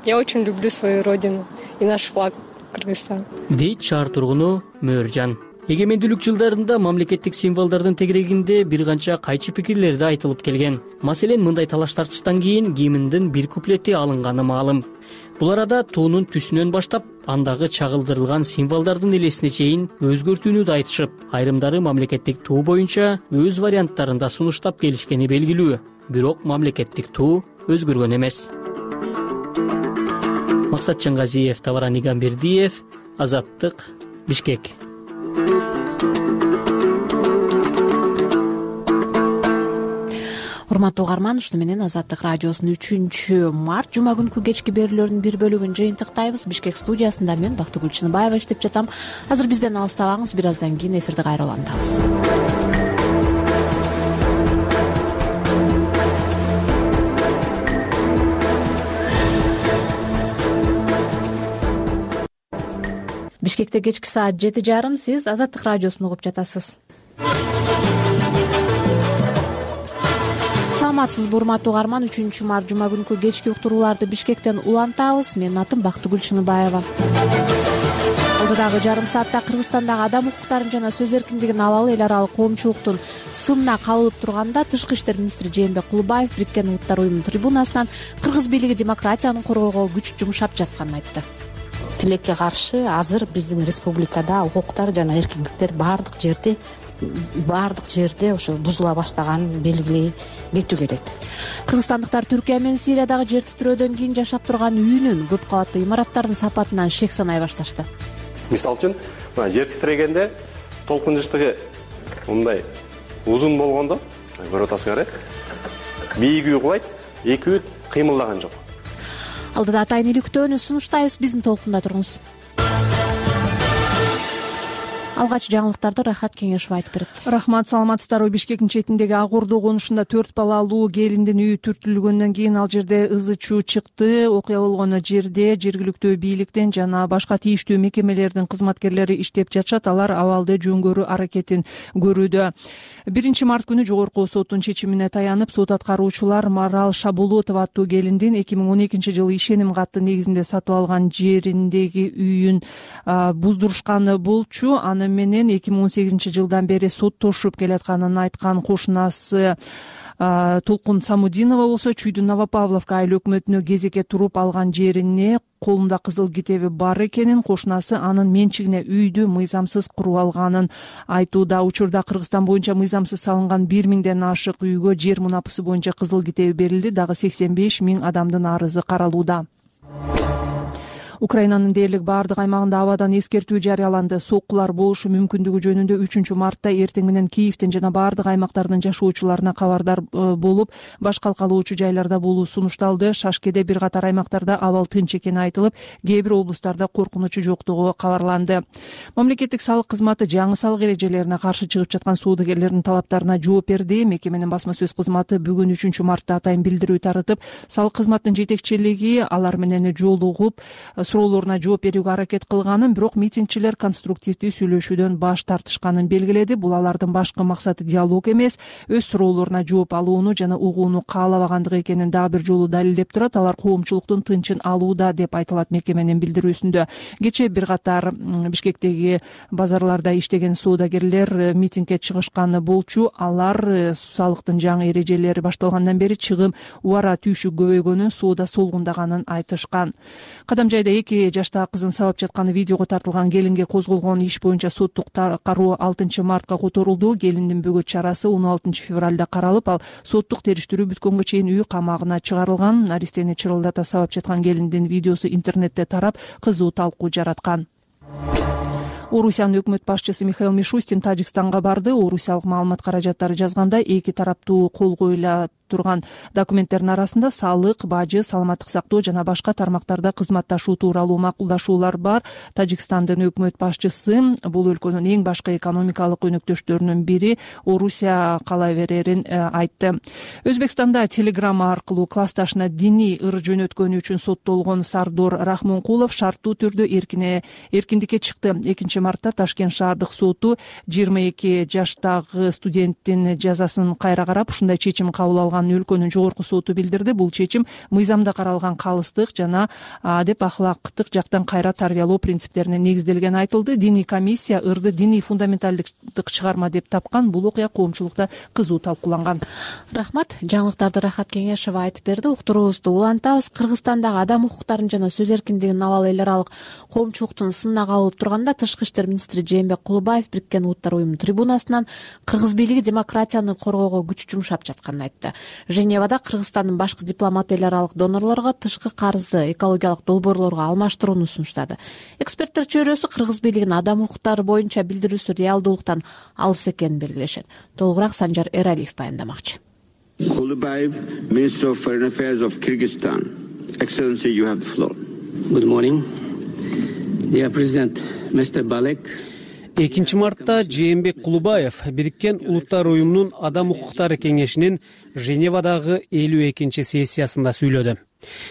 Я очень люблю свою родину и наш флаг Кыргызстан. Дейт шаар тургуну Мөөржан. эгемендүүлүк жылдарында мамлекеттик символдордун тегерегинде бир канча кайчы пикирлер да айтылып келген. Маселен, мындай талаш тартыштан кийин гимндин бир куплети алынганы маалым. Бул арада туунун түсүнөн баштап, андагы чагылдырылган символдордун элесине чейин өзгөртүүнү да айтышып, айрымдары мамлекеттик туу боюнча өз варианттарында сунуштап келишкени белгилүү. Бирок мамлекеттик туу өзгөргөн эмес. Максат Чангазиев, Табаран Игамбердиев, Азаттык, Бишкек. Урматтуу угарман, ушуну менен Азаттык радиосунун 3-март жума күнкү кечки берүүлөрүнүн бир бөлүгүн жыйынтыктайбыз. Бишкек студиясында мен Бактыгүл Чыныбаева иштеп жатам. Азыр бизден алыстабаңыз, бир аздан кийин эфирди кайра улантабыз. Бишкекте кечки саат 7:30, сиз Азаттык радиосун угуп жатасыз. Саламатсызбы, урматтуу угарман, 3-март жума күнкү кечки уктурууларды Бишкектен улантабыз. Менин атым Бактыгүл Чыныбаева. Алдыдагы жарым саатта Кыргызстандагы адам укуктарын жана сөз эркиндигин абалы эл аралык коомчулуктун сынына кабылып турганда Тышкы иштер министри Жээнбек Кулубаев Бириккен Улуттар уюмунун трибунасынан кыргыз бийлиги демократияны коргоого күч жумшап жатканын айтты. Тилекке каршы азыр биздин республикада укуктар жана эркиндиктер баардык жерде ошо бузула баштаганын белгилей кетүү керек. Кыргызстандыктар Түркия менен Сириядагы жер титирөөдөн кийин жашап турган үйүнүн көп кабаттуу имараттардын сапатынан шек санай башташты. Мисалы үчүн, жер титирегенде толкун жыштыгы мындай узун болгондо, көрүп атасыңар, бийик үй кулайт, эки үй кыймылдаган жок. Алдыда атайын иликтөөнү сунуштайбыз, биздин толкунда туруңуз. Алгач жаңылыктарды Рахат Кеңешов айтып берет. Рахмат, саламатсыздарбы. Бишкектин четиндеги Ак Ордо конушунда 4 балалуу келиндин үйү түртүлгөндөн кийин ал жерде ызы чуу чыкты. Окуя болгон жерде жергиликтүү бийликтен жана башка тийиштүү мекемелердин кызматкерлери иштеп жатышат. Алар абалды жөнгөрүү аракетин көрүүдө. 1-март күнү жогорку соттун чечимине таянып, сот аткаруучулар Марал Шабулотова аттуу келиндин 2012-жылы ишеним каты негизинде сатып алган жериндеги үйүн буздурушканы болчу. Аны менен 2018-жылдан бери соттошуп келатканын айткан кошунасы Толкун Самудинова болсо Чүйдүн Новопавловка айыл өкмөтүнө кезекке туруп алган жерине колунда кызыл китеби бар экенин, кошунасы анын менчигине үйдү мыйзамсыз куруп алганын айтууда. Учурда Кыргызстан боюнча мыйзамсыз салынган 1000ден ашык үйгө жер мунапысы боюнча кызыл китеби берилди. Дагы 85 000 адамдын арызы каралууда. Украинанын дээрлик баардык аймагында абадан эскертүү жарыяланды. Соккулар болушу мүмкүндүгү жөнүндө 3-мартта эртең менен Киевден жана баардык аймактардын жашоочуларына кабардар болуп, баш калкалоочу жайларда болуу сунушталды. Шашкеде бир катар аймактарда абал тынч экени айтылып, кээ бир облустарда коркунучу жоктугу кабарланды. Мамлекеттик салык кызматы жаңы салык эрежелерине каршы чыгып жаткан соодагерлердин талаптарына жооп берди. Мекеменин басма сөз кызматы бүгүн 3-мартта атайын билдирүү таратып, салык кызматынын жетекчилиги алар менен жолугуп суроолоруна жооп берүүгө аракет кылганын, бирок митингчилер конструктивдүү сүйлөшүүдөн баш тартышканын белгиледи. Бул алардын башкы максаты диалог эмес, өз суроолоруна жооп алууну жана угууну каалабагандыгы экенин дагы бир жолу далилдеп турат. Алар коомчулуктун тынчын алууда деп айтылат мекеменин билдирүүсүндө. Кечээ бир катар Бишкектеги базарларда иштеген соодагерлер митингге чыгышканы болчу. Алар салыктын жаңы эрежелери башталгандан бери чыгым убара түйшүк көбөйгөнүн, соода солгундаганын айтышкан. Кадам жайда 2 жаштагы кызын сабап жатканы видеого тартылган келинге козголгон иш боюнча соттук кароо 6-мартка которулду. Келиндин бөгөт чарасы 16-февралда каралып, ал соттук териштирүү бүткөнгө чейин үй камагына чыгарылган. Наристени чырылдата сабап жаткан келиндин видеосу интернетте тарап, кызуу талкуу жараткан. Орусиянын өкмөт башчысы Михаил Мишустин Тажикстанга барды. Орусиялык маалымат каражаттары жазгандай, эки тараптуу кол коюла турган документтердин арасында салык, бажы, саламаттык сактоо жана башка тармактарда кызматташуу тууралуу макулдашуулар бар. Тажикстандын өкмөт башчысы бул өлкөнүн эң башкы экономикалык өнөктөштөрүнүн бири Орусия кала берерин айтты. Өзбекстанда телеграмма аркылуу классташына диний ыр жөнөткөнү үчүн соттолгон Сардор Рахмонкулов шарттуу түрдө эркиндикке чыкты. 2-мартта Ташкент шаардык соту 22 жаштагы студенттин жазасын кайра карап, ушундай чечим кабыл алган катталган өлкөнүн жогорку соту билдирди. Бул чечим мыйзамда каралган калыстык жана адеп ахлактык жактан кайра тарбиялоо принциптерине негизделгени айтылды. Диний комиссия ырды диний фундаменталдык чыгарма деп тапкан. Бул окуя коомчулукта кызуу талкууланган. Рахмат. Жаңылыктарды Рахат Кеңешова айтып берди. Уктуруубузду улантабыз. Кыргызстандагы адам укуктарын жана сөз эркиндигин абалы эл аралык коомчулуктун сынына кабылып турганда Тышкы иштер министри Жээнбек Кулубаев Бириккен Улуттар уюмунун трибунасынан кыргыз бийлиги демократияны коргоого күч жумшап жатканын айтты. Женевада Кыргызстандын башкы дипломаты эл аралык донорлорго тышкы карызды экологиялык долбоорлорго алмаштырууну сунуштады. Эксперттер чөйрөсү кыргыз бийлигинин адам укуктары боюнча билдирүүсү реалдуулуктан алыс экенин белгилешет. Толугураак Санжар Эралиев баяндамакчы. Kulubayev, Minister of Foreign Affairs of Kyrgyzstan. Excellency, you have the floor. Good morning. Dear President, Mr. Balek. 2 мартта Жээнбек Кулубаев Бириккен Улуттар уюмунун адам укуктары кеңешинин Женевадагы 52-чи сессиясында сүйлөдү.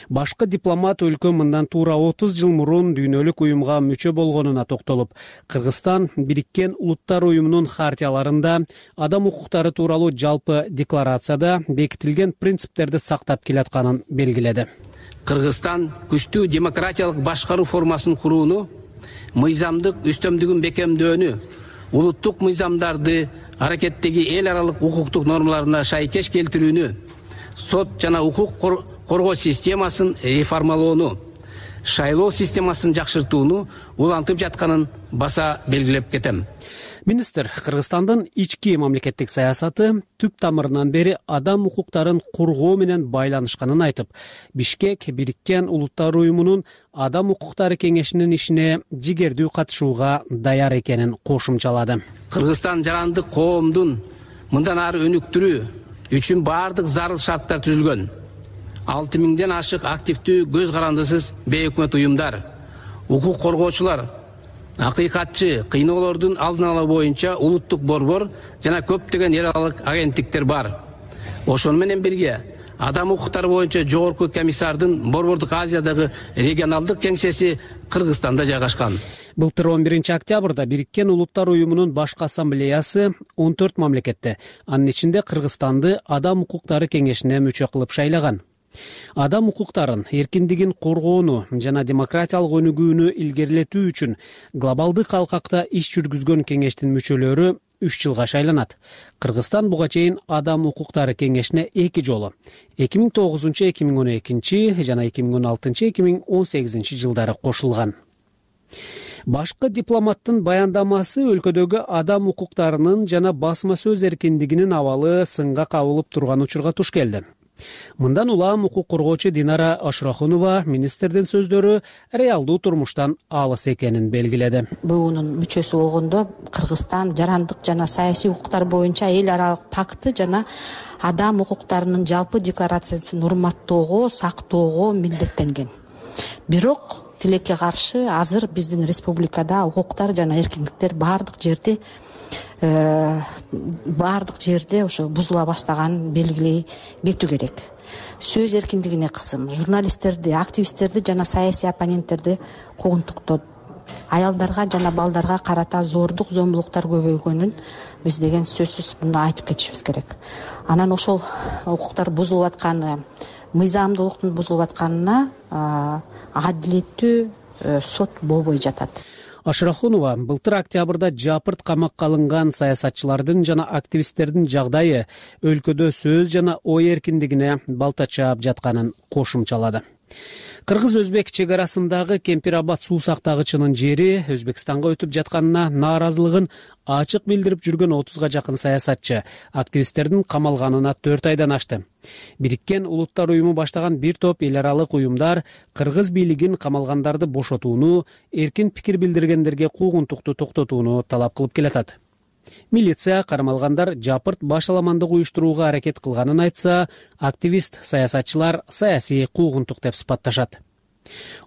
Башкы дипломат өлкө мындан туура 30 жыл мурун дүйнөлүк уюмга мүчө болгонуна токтолуп, Кыргызстан Бириккен Улуттар уюмунун хартияларында адам укуктары тууралуу жалпы декларацияда бекитилген принциптерди сактап келатканын белгиледи. Кыргызстан күчтүү демократиялык башкаруу формасын курууну, мыйзамдык үстөмдүгүн бекемдөөнү, улуттук мыйзамдарды аракеттеги эл аралык укуктук нормаларына шайкеш келтирүүнү, сот жана укук коргоо системасын реформалоону, шайлоо системасын жакшыртууну улантып жатканын баса белгилеп кетем. Министр Кыргызстандын ички мамлекеттик саясаты түп тамырынан бери адам укуктарын коргоо менен байланышканын айтып, Бишкек Бириккен Улуттар уюмунун адам укуктары кеңешинин ишине жигердүү катышууга даяр экенин кошумчалады. Кыргызстан жарандык коомдун мындан ары өнүктүрүү үчүн баардык зарыл шарттар түзүлгөн. 6000ден ашык активдүү көз карандысыз бейөкмөт уюмдар, укук коргоочулар, акыйкатчы, кыйноолордун алдын алуу боюнча улуттук борбор жана көптөгөн эл аралык агенттиктер бар. Ошону менен бирге адам укуктары боюнча жогорку комиссардын Борбордук Азиядагы регионалдык кеңсеси Кыргызстанда жайгашкан. Былтыр 11 октябрда Бириккен Улуттар уюмунун башкы ассамблеясы 14 мамлекетти, анын ичинде Кыргызстанды адам укуктары кеңешине мүчө кылып шайлаган. Адам укуктарын, эркиндигин коргоону жана демократиялык өнүгүүнү илгерилетүү үчүн глобалдык алкакта иш жүргүзгөн кеңештин мүчөлөрү 3 жылга шайланат. Кыргызстан буга чейин адам укуктары кеңешине 2 жолу 2009-2012 жана 2016-2018 жылдары кошулган. Башкы дипломаттын баяндамасы өлкөдөгү адам укуктарынын жана басма сөз эркиндигинин абалы сынга кабылып турган учурга туш келди. Мындан улам укук коргоочу Динара Ашрахунова министрдин сөздөрү реалдуу турмуштан алыс экенин белгиледи. БУнун мүчөсү болгондо Кыргызстан жарандык жана саясий укуктар боюнча эл аралык пакты жана адам укуктарынын жалпы декларациясын урматтоого, сактоого милдеттенген. Бирок тилекке каршы азыр биздин республикада укуктар жана эркиндиктер баардык жерде ошо бузула баштаганын белгилей кетүү керек. Сөз эркиндигине кысым, журналисттерди, активисттерди жана саясий оппоненттерди куугунтуктоп, аялдарга жана балдарга карата зордук, зомбулуктар көбөйгөнүн биз деген сөзсүз мындай айтып кетишибиз керек. Анан ошол укуктар бузулуп атканы, мыйзамдуулуктун бузулуп атканына адилеттүү сот болбой жатат. Ашрахунова былтыр октябрда жапырт камакка алынган саясатчылардын жана активисттердин жагдайы өлкөдө сөз жана ой эркиндигине балта чаап жатканын кошумчалады. Кыргыз-өзбек чек арасындагы Кемпирабад суу сактагычынын жери Өзбекстанга өтүп жатканына нааразылыгын ачык билдирип жүргөн 30га жакын саясатчы активисттердин камалганына 4 айдан ашты. Бириккен Улуттар уюму баштаган бир топ эл аралык уюмдар кыргыз бийлигин камалгандарды бошотууну, эркин пикир билдиргендерге куугунтукту токтотууну талап кылып келатат. Милиция кармалгандар жапырт башаламандык уюштурууга аракет кылганын айтса, активист саясатчылар саясий куугунтук деп сыпатташат.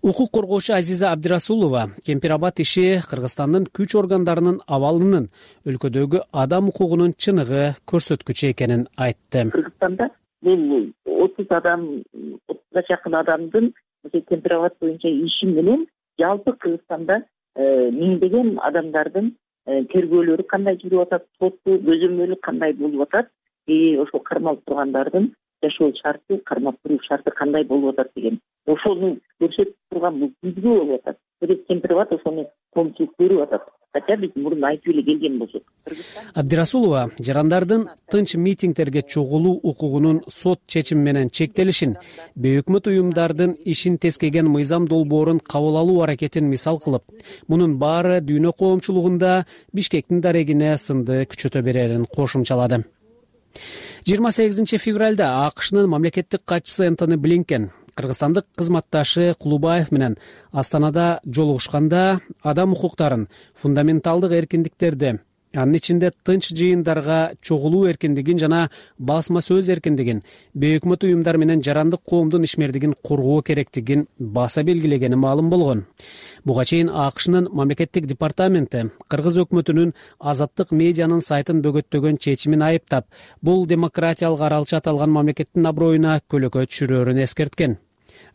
Укук коргоочу Азиза Абдирасулова Кемпирабад иши Кыргызстандын күч органдарынын абалынын өлкөдөгү адам укугунун чыныгы көрсөткүчү экенин айтты. Кыргызстанда мен 30га жакын адамдын Кемпирабад боюнча иши менен жалпы Кыргызстанда миңдеген адамдардын тергөөлөрү кандай жүрүп атат, соттуу көзөмөлү кандай болуп атат, ошол кармалып тургандардын жашоо шарты, кармап туруу шарты кандай болуп атат деген ошону көрсөтүп турган бул түзгү болуп атат. Президент Кемпироват ошону коомчулук көрүп атат. Хотя биз мурун айтып эле келген болсок. Абдирасулова жарандардын тынч митингдерге чогулуу укугунун сот чечими менен чектелишин, бейөкмөт уюмдардын ишин тескеген мыйзам долбоорун кабыл алуу аракетин мисал кылып, мунун баары дүйнө коомчулугунда Бишкектин дарегине сынды күчөтө берерин кошумчалады. 28 февралда АКШнын мамлекеттик катчысы Энтони Блинкен кыргызстандык кызматташы Кулубаев менен Астанада жолугушканда адам укуктарын, фундаменталдык эркиндиктерди, анын ичинде тынч жыйындарга чогулуу эркиндигин жана басма сөз эркиндигин, бейөкмөт уюмдар менен жарандык коомдун ишмердигин коргоо керектигин баса белгилегени маалым болгон. Буга чейин АКШнын мамлекеттик департаменти кыргыз өкмөтүнүн азаттык медианын сайтын бөгөттөгөн чечимин айыптап, бул демократиялык аралча аталган мамлекеттин аброюна көлөкө түшүрөөрүн эскерткен.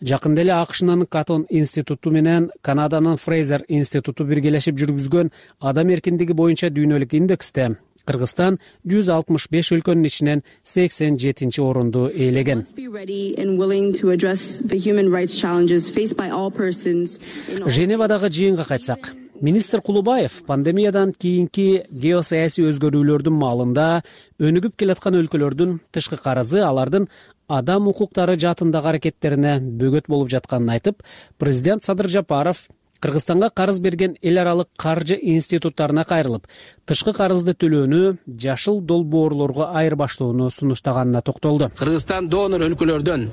Жакында эле АКШнын Катон институту менен Канаданын Фрейзер институту биргелешип жүргүзгөн адам эркиндиги боюнча дүйнөлүк индексте Кыргызстан 165 өлкөнүн ичинен 87 орунду ээлеген. Женевадагы жыйынга кайтсак, министр Кулубаев пандемиядан кийинки геосаясий өзгөрүүлөрдүн маалында өнүгүп келаткан өлкөлөрдүн тышкы карызы алардын адам укуктары жаатындагы аракеттерине бөгөт болуп жатканын айтып, президент Садыр Жапаров Кыргызстанга карыз берген эл аралык каржы институттарына кайрылып, тышкы карызды төлөөнү жашыл долбоорлорго айырбаштоону сунуштаганына токтолду. Кыргызстан донор өлкөлөрдөн,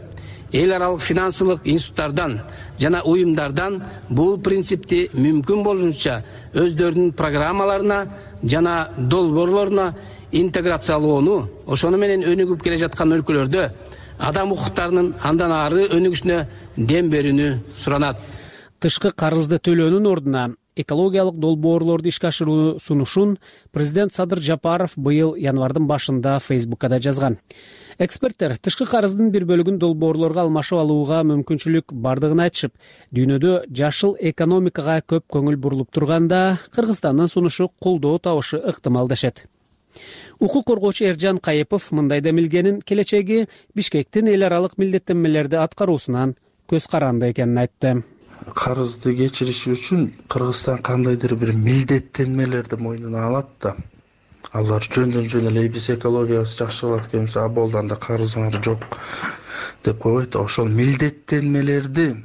эл аралык финансылык институттардан жана уюмдардан бул принципти мүмкүн болушунча өздөрүнүн программаларына жана долбоорлоруна интеграциялоону, ошону менен өнүгүп келе жаткан өлкөлөрдө адам укуктарынын андан ары өнүгүшүнө дем берүүнү суранат. Тышкы карызды төлөөнүн ордуна экологиялык долбоорлорду ишке ашырууну сунушун президент Садыр Жапаров быйыл январдын башында Фейсбуккада жазган. Эксперттер тышкы карыздын бир бөлүгүн долбоорлорго алмашып алууга мүмкүнчүлүк бардыгын айтышып, дүйнөдө жашыл экономикага көп көңүл бурулуп турганда Кыргызстандын сунушу колдоо табышы ыктымал дешет. Укук коргоочу Эржан Кайыпов мындай демилгенин келечеги Бишкектин эл аралык милдеттенмелерди аткаруусунан көз каранды экенин айтты. Карызды кечириш үчүн Кыргызстан кандайдыр бир милдеттенмелерди мойнуна алат да. Алар жөндөн эле биз экологиябызды жакшыртып келебиз, аболдан да карызыңар жок деп койбойт. Ошол милдеттенмелерди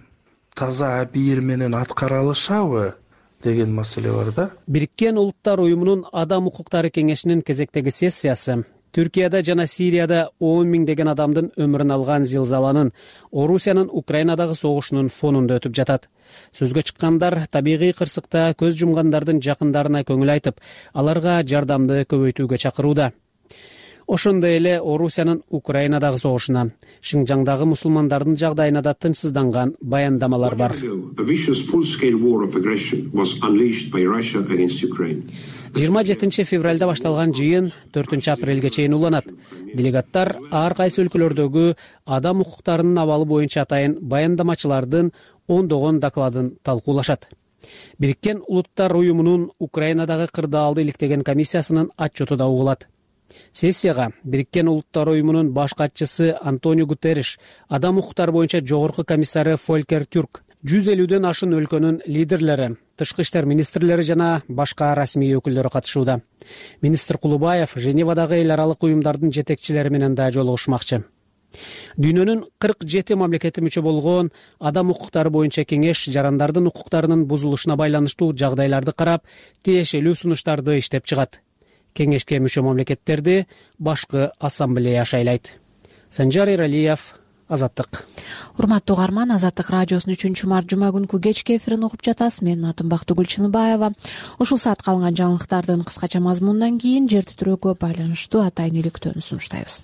таза абийир менен аткара алышабы деген маселе бар да. Бириккен Улуттар уюмунун Адам укуктары кеңешинин кезектеги сессиясы Түркияда жана Сирияда 10 миңдеген адамдын өмүрүн алган зилзаланын, Орусиянын Украинадагы согушунун фонунда өтүп жатат. Сөзгө чыккандар табигый кырсыкта көз жумгандардын жакындарына көңүл айтып, аларга жардамды көбөйтүүгө чакырууда. Ошондой эле Орусиянын Украинадагы согушуна, Шинжаңдагы мусулмандардын жагдайына да тынчсызданган баяндамалар бар. 27 февралда башталган жыйын 4 апрелге чейин уланат. Делегаттар ар кайсы өлкөлөрдөгү адам укуктарынын абалы боюнча атайын баяндамачылардын ондогон докладын талкуулашат. Бириккен Улуттар уюмунун Украинадагы кырдаалды иликтеген комиссиясынын отчету да угулат. Сессияга Бириккен Улуттар уюмунун баш катчысы Антонио Гутерриш, адам укуктары боюнча жогорку комиссары Фолькер Тюрк, 150ден ашын өлкөнүн лидерлери, тышкы иштер министрлери жана башка расмий өкүлдөрү катышууда. Министр Кулубаев Женевадагы эл аралык уюмдардын жетекчилери менен да жолугушмакчы. Дүйнөнүн 47 мамлекети мүчө болгон адам укуктары боюнча кеңеш жарандардын укуктарынын бузулушуна байланыштуу жагдайларды карап, тиешелүү сунуштарды иштеп чыгат. Кеңешке мүчө мамлекеттерди башкы ассамблея шайлайт. Санжар Иралиев, Азаттык. Урматтуу угарман, Азаттык радиосунун 3-март жума күнкү кечки эфирин угуп жатасыз. Менин атым Бактыгүл Чыныбаева. Ушул саат калган жаңылыктардын кыскача мазмунунан кийин жер титирөөгө байланыштуу атайын иликтөөнү сунуштайбыз.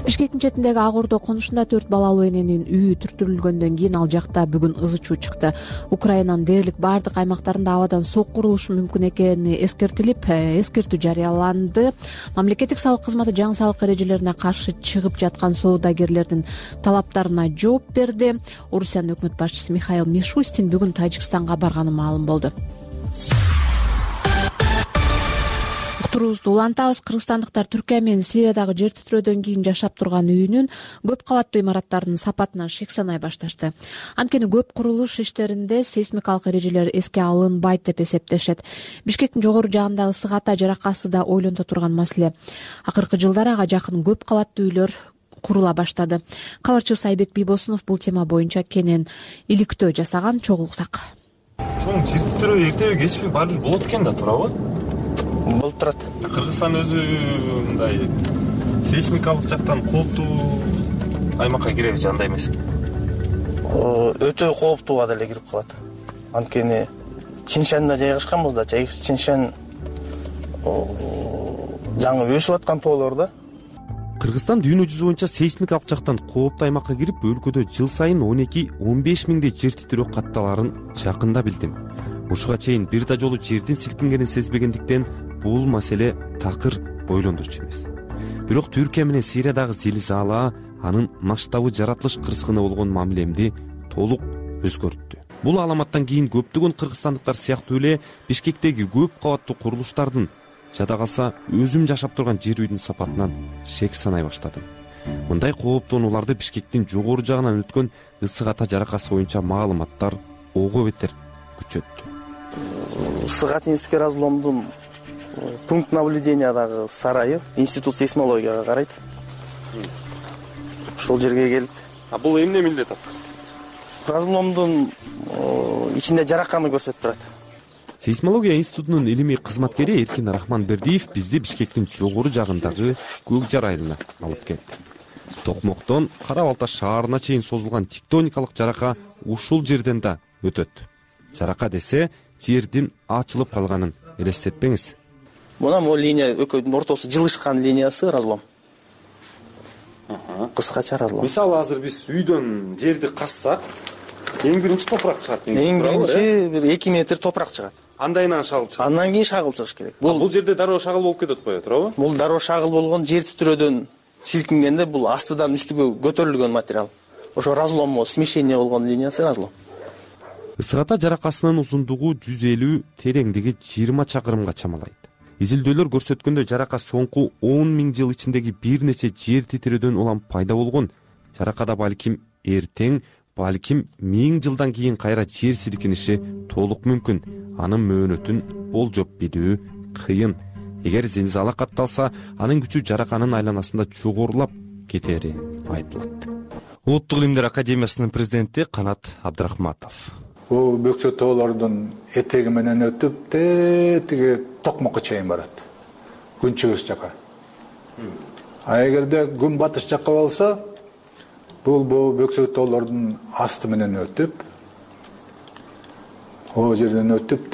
Бишкектин четиндеги Ак Ордо конушунда 4 балалуу эненин үйү түртүрүлгөндөн кийин ал жакта бүгүн ызы чуу чыкты. Украинанын дээрлик бардык аймактарында абадан сок курулушу мүмкүн экени эскертилип, эскертүү жарыяланды. Мамлекеттик салык кызматы жаңы салык эрежелерине каршы чыгып жаткан соодагерлердин талаптарына жооп берди. Орусиянын өкмөт башчысы Михаил Мишустин бүгүн Тажикстанга барганы маалым болду. Турубузду улантабыз. Кыргызстандыктар Түркия менен Сириядагы жер титирөөдөн кийин жашап турган үйүнүн көп кабаттуу имараттарынын сапатынан шек санай башташты. Анткени көп курулуш иштеринде сейсмикалык эрежелер эске алынбайт деп эсептешет. Бишкектин жогору жагындагы ысык ата жаракасы да ойлонто турган маселе. Акыркы жылдары ага жакын көп кабаттуу үйлөр курула баштады. Кабарчыбыз Айбек Бийбосунов бул тема боюнча кенен иликтөө жасаган. Чогуу уксак. Чоң жер титирөө эртеби кечпи баары бир болот экен да, туурабы? Болуп турат. Кыргызстан өзү мындай сейсмикалык жактан кооптуу аймакка киреби же андай эмес? Өтө кооптууга деле кирип калат. Анткени Чиншанда жайгашканбыз да, Чиншан жаңы өсүп аткан тоолор да. Кыргызстан дүйнө жүзү боюнча сейсмикалык жактан кооптуу аймакка кирип, өлкөдө жыл сайын 12-15 миңдей жер титирөө катталарын жакында билдим. Ушуга чейин бир да жолу жердин силкингенин сезбегендиктен бул маселе такыр ойлондурчу эмес. Бирок Түркия менен Сириядагы зилзала анын масштабы жаратылыш кырсыгына болгон мамилемди толук өзгөрттү. Бул аламаттан кийин көптөгөн кыргызстандыктар сыяктуу эле Бишкектеги көп кабаттуу курулуштардын, жада калса өзүм жашап турган жер үйдүн сапатынан шек санай баштадым. Мындай кооптонууларды Бишкектин жогору жагынан өткөн ысык ата жаракасы боюнча маалыматтар ого бетер күчөттү. Ысык ата разломдун пункт наблюдениядагы сарайы институт сейсмологияга карайт. Ошол жерге келип. Бул эмне милдет ат? Разломдун ичинде жараканы көрсөтүп турат. Сейсмология институтунун илимий кызматкери Эркин Рахманбердиев бизди Бишкектин жогору жагындагы Көк жар айылына алып келди. Токмоктон Кара Балта шаарына чейин созулган тектоникалык жарака ушул жерден да өтөт. Жарака десе жердин ачылып калганын элестетпеңиз. Мына могу линия экөөнүн ортосу жылышкан линиясы разлом. Кыскача разлом. Мисалы азыр биз үйдөн жерди казсак, эң биринчи топурак чыгат. Эң биринчи бир 2 метр топурак чыгат. Андайынан шагыл чыгат. Андан кийин шагыл чыгыш керек. Бул жерде дароо шагыл болуп кетет го, туурабы? Бул дароо шагыл болгон жер титирөөдөн силкингенде бул астыдан үстүгө көтөрүлгөн материал. Ошо разлом, смешение болгон линиясы разлом. Ысык ата жаракасынын узундугу 150, тереңдиги 20 чакырымга чамалайт. Изилдөөлөр көрсөткөндөй жарака соңку 10 миң жыл ичиндеги бир нече жер титирөөдөн улам пайда болгон. Жаракада балким эртең, балким 1000 жылдан кийин кайра жер силкиниши толук мүмкүн. Анын мөөнөтүн болжоп билүү кыйын. Эгер зилзала катталса, анын күчү жараканын айланасында жогорулап кетери айтылат. Улуттук илимдер академиясынын президенти Канат Абдрахматов. Бул бөксө тоолордун этеги менен өтүп, тиги Токмокко чейин барат. Күнчүгүс жака. А эгерде күн батыш жакка болсо, бул бөксө тоолордун асты менен өтүп, о жерден өтүп,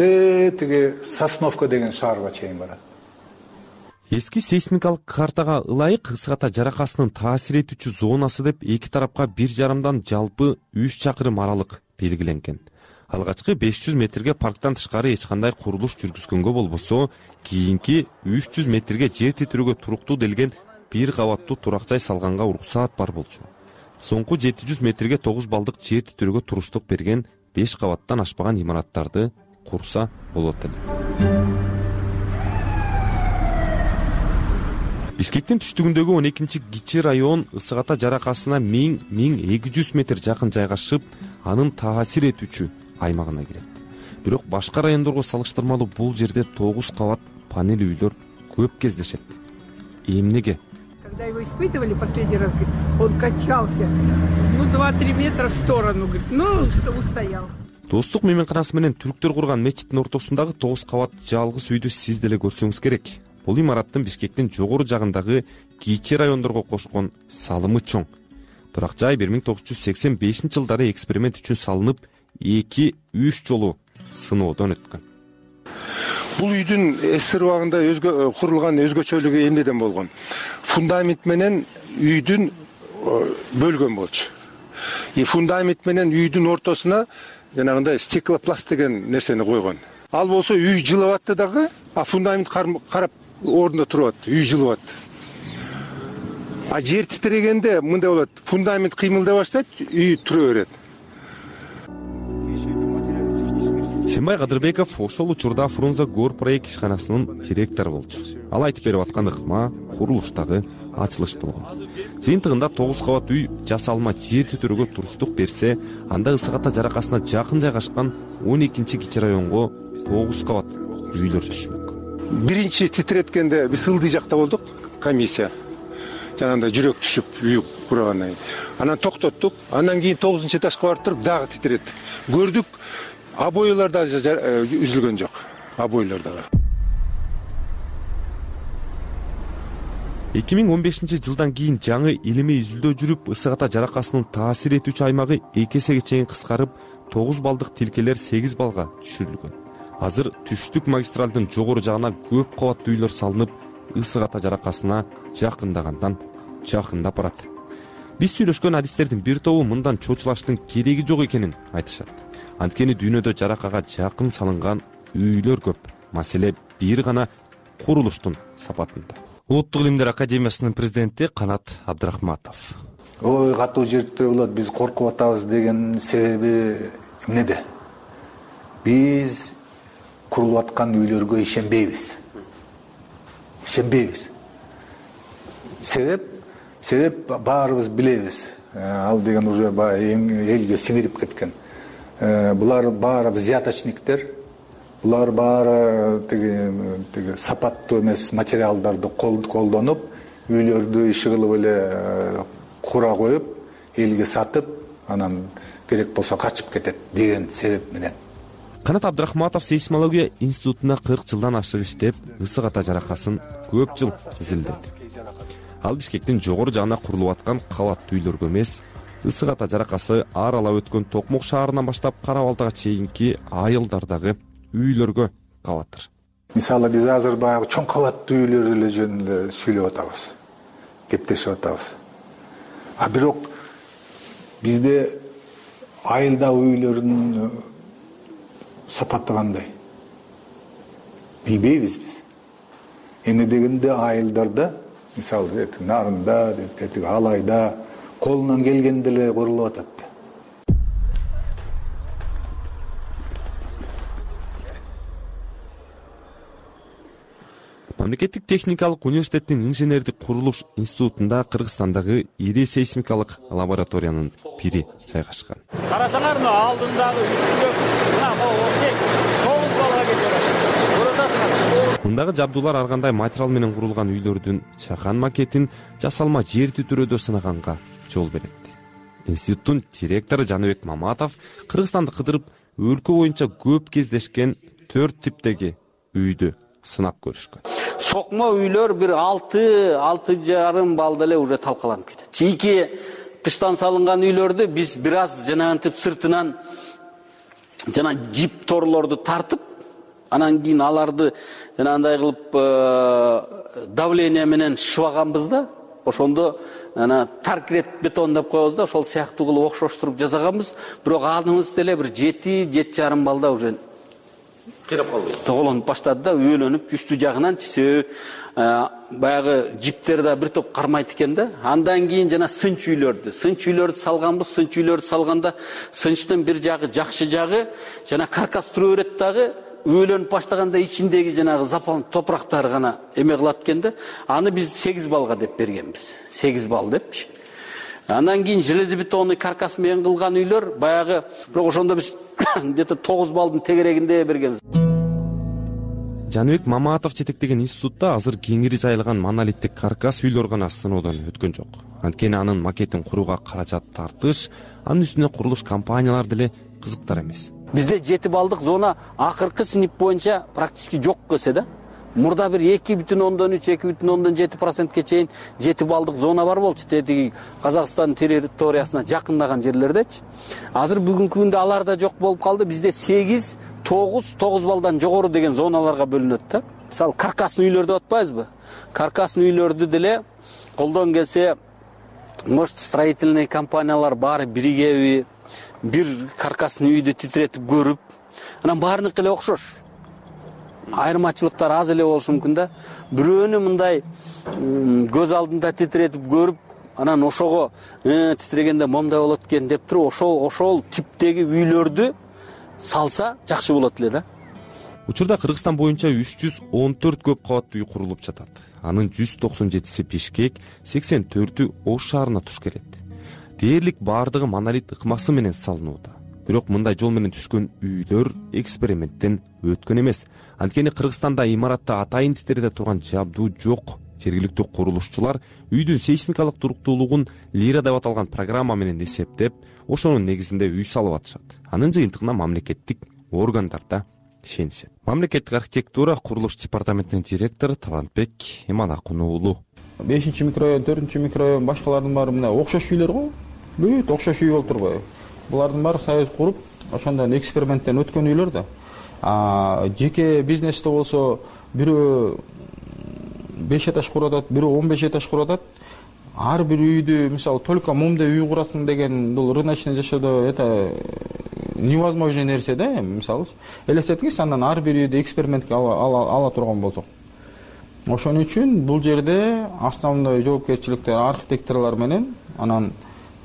тиги Сосновка деген шаарга чейин барат. Эски сейсмикалык картага ылайык ысык ата жаракасынын таасир этүүчү зонасы деп эки тарапка 1,5 жалпы 3 чакырым аралык белгиленген. Алгачкы 500 метрге парктан тышкары эч кандай курулуш жүргүзгөнгө болбосо, кийинки 300 метрге жер титирөөгө туруктуу делген бир кабаттуу турак жай салганга уруксаат бар болчу. Соңку 700 метрге 9 балдык жер титирөөгө туруштук берген 5 кабаттан ашпаган имараттарды курса болот эле. Бишкектин түштүгүндөгү 12-чи кичи район ысык ата жаракасына 1000-1200 метр жакын жайгашып, анын таасир этүүчү аймагына кирет. Бирок башка райондорго салыштырмалуу бул жерде 9 кабат панель үйлөр көп кездешет. Эмнеге? Когда его испытывали последний раз, он качался, 2-3 метра в сторону, устоял. Достук мейманканасы менен түрктөр курган мечиттин ортосундагы 9 кабат жалгыз үйдү сиз деле көрсөңүз керек. Бул имараттын Бишкектин жогору жагындагы кичи райондорго кошкон салымы чоң. Турак жай 1985-жылдары эксперимент үчүн салынып, 2-3 жолу сыноодон өткөн. Бул үйдүн эсер убагында курулган өзгөчөлүгү эмнеден болгон? Фундамент менен үйдүн бөлгөн болчу. Фундамент менен үйдүн ортосуна жанагындай стеклопласт деген нерсени койгон. Ал болсо үй жылып атты дагы, а фундамент карап ордунда туруп атты, үй жылып атты. А жер титирегенде мындай болот, фундамент кыймылдай баштайт, үй тура берет. Шенбай Кадырбеков ошол учурда Фрунзе Гор проект ишканасынын директору болчу. Ал айтып берип аткан ыкма курулуштагы ачылыш болгон. Жыйынтыгында 9 кабат үй жасалма жер түтүрүүгө туруштук берсе, анда Ысык Ата жаракасына жакын жайгашкан 12-кичи районго 9 кабат үйлөр түшмөк. Биринчи титиреткенде биз Ылдый жакта болдук, комиссия. Жанагындай жүрөк түшүп үй курагандан кийин. Анан токтоттук. Андан кийин 9-этажга барып туруп дагы титиреттик. Көрдүк, обойлар да үзүлгөн жок. Обойлар да бар. 2015-жылдан кийин жаңы илимий изилдөө жүрүп, Ысык Ата жаракасынын таасир этүүчү аймагы 2 эсеге чейин кыскарып, 9 балдык тилкелер 8 балга түшүрүлгөн. Азыр түштүк магистралдын жогору жагына көп кабаттуу үйлөр салынып, Ысык Ата жаракасына жакындагандан жакындап барат. Биз сүйлөшкөн адистердин бир тобу мындан чочулаштын кереги жок экенин айтышат. Анткени дүйнөдө жаракага жакын салынган үйлөр көп. Маселе бир гана курулуштун сапатында. Улуттук илимдер академиясынын президенти Канат Абдрахматов. Ой, катуу жер титирөө болот, биз коркуп атабыз деген себеби эмнеде? Биз курулуп аткан үйлөргө ишенбейбиз. Себеп баарыбыз билебиз. Ал деген уже элге сиңирип кеткен. Булар баары взяточниктер. Булар баары тиги сапаттуу эмес материалдарды колдонуп, үйлөрдү иши кылып эле кура коюп, элге сатып, анан керек болсо качып кетет деген себеп менен. Канат Абдрахматов сейсмология институтуна 40 жылдан ашык иштеп, Ысык Ата жаракасын көп жыл изилдеди. Ал Бишкектин жогору жагына курулуп аткан кабаттуу үйлөргө эмес, Ысык Ата жаракасы аралап өткөн Токмок шаарынан баштап Кара Балтага чейинки айылдардагы үйлөргө кабаттыр. Мисалы биз азыр баягы чоң кабаттуу үйлөр эле жөнүндө сүйлөп атабыз, кептешип атабыз. А бирок бизде айылдагы үйлөрдүн сапаты кандай? Билбейбиз биз. Эмне дегенде айылдарда, мисалы Нарында, Алайда колунан келгенде эле курулуп атат. Мамлекеттик техникалык университеттин инженердик курулуш институтунда Кыргызстандагы ири сейсмикалык лабораториянын бири жайгашкан. Карасаңарбы, алдындагы үстүндө мына осек 9 балга кетет. Мындагы жабдуулар ар кандай материал менен курулган үйлөрдүн чакан макетин жасалма жер түтүрөөдө сынаганга жол берет. Институттун директору Жаныбек Маматов Кыргызстанды кыдырып, өлкө боюнча көп кездешкен 4 типтеги үйдү сынап көрүшкөн. Сокмо үйлөр бир 6,5 балда эле уже талкаланып кетет. Чийки кыштан салынган үйлөрдү биз бир аз жанагынтип сыртынан жана жип торлорду тартып, анан кийин аларды жанагындай кылып давление менен шыбаганбыз да. Ошондо ана таркрет бетон деп коебуз да, ошол сыяктуу кылып окшоштуруп жасаганбыз. Бирок аныбыз деле бир 7,5 балда уже кыйрап калды. Тоголонуп баштады да, өөлөнүп үстү жагынан чисөө баягы жиптер да бир топ кармайт экен да. Андан кийин жана сынч үйлөрдү салганбыз. Сынч үйлөрдү салганда сынчтын бир жагы жакшы жагы жана каркас туруу берет дагы. Өөлөнүп баштаганда ичиндеги жанагы запал топурактар гана эме кылат экен да. Аны биз 8 балга деп бергенбиз. 8 бал депчи. Андан кийин железобетонный каркас менен кылган үйлөр баягы, бирок ошондо биз где-то 9 балдын тегерегинде бергенбиз. Жаныбек Маматов жетектеген институтта азыр кеңири жайылган монолиттик каркас үйлөр гана сыноодон өткөн жок. Анткени анын макетин курууга каражат тартыш, анын үстүнө курулуш компаниялар деле кызыктар эмес. Бизде 7 балдык зона акыркы синип боюнча практически жок көсө да. Мурда бир 2,3-2,7%ке чейин 7 балдык зона бар болчу. Тетиги Казакстан территориясына жакындаган жерлердечи. Азыр бүгүнкү күндө алар да жок болуп калды. Бизде 8, 9 балдан жогору деген зоналарга бөлүнөт да. Мисалы каркасный үйлөрдү атпайбызбы? Каркасный үйлөрдү деле колдон келсе, может, строительный компаниялар баары биригеби, бир каркасный үйдү титиретип көрүп, анан баарыныкы эле окшош. Айырмачылыктар аз эле болушу мүмкүн да. Бирөөнү мындай көз алдында титиретип көрүп, анан ошого титирегенде момдай болот экен деп туруп, ошол типтеги үйлөрдү салса жакшы болот эле да. Учурда Кыргызстан боюнча 314 көп кабаттуу үй курулуп жатат. Анын 197си Бишкек, 84-ü Ош шаарына туш келет. Дээрлик баардыгы монолит ыкмасы менен салынууда. Бирок мындай жол менен түшкөн үйлөр эксперименттен өткөн эмес. Анткени Кыргызстанда имаратта атайын титерде турган жабдуу жок. Жергиликтүү курулушчулар үйдүн сейсмикалык туруктуулугун лира деп аталган программа менен эсептеп, ошонун негизинде үй салып атышат. Анын жыйынтыгына мамлекеттик органдар да ишенишет. Мамлекеттик архитектура курулуш департаментинин директору Талантбек Иманакун уулу. 5-микрорайон, 4-микрорайон башкалардын баары мына окшош үйлөр го. Бүт окшош үй болуп турбайбы? Булардын баары союз куруп, ошондон эксперименттен өткөн үйлөр да. Жеке бизнесте болсо бирөө 5 этаж куруп атат, бирөө 15 этаж куруп атат. Ар бир үйдү, мисалы, только момда үй курасың деген бул рыночный жашоодо это невозможный нерсе да, мисалы. Элестетиңиз, андан ар бир үйдү экспериментке ала турган болсок. Ошон үчүн бул жерде основной жоопкерчиликтер архитекторлор менен, анан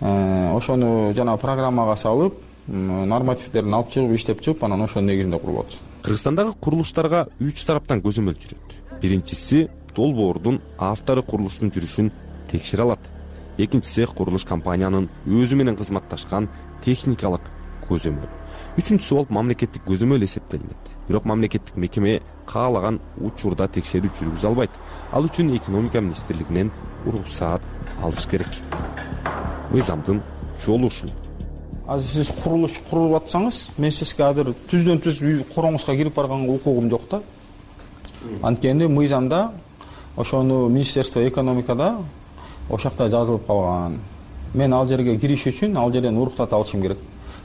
ошону жана программага салып, нормативдерин алып чыгып, иштеп чыгып, анан ошонун негизинде куруп атышат. Кыргызстандагы курулуштарга 3 тараптан көзөмөл жүрөт. Биринчиси долбоордун автору курулуштун жүрүшүн текшере алат. Экинчиси курулуш компаниянын өзү менен кызматташкан техникалык көзөмөл. Үчүнчүсү болуп мамлекеттик көзөмөл эсептелинет. Бирок мамлекеттик мекеме каалаган учурда текшерүү жүргүзө албайт. Ал үчүн экономика министрлигинен уруксаат алыш керек. Мыйзамдын жолу ушул. Азыр сиз курулуш куруп атсаңыз, мен сизге азыр түздөн түз үй короңузга кирип барганга укугум жок да. Анткени мыйзамда ошону Министерство экономикада ошакта жазылып калган. Мен ал жерге кириш үчүн ал жерден уруксат алышым керек.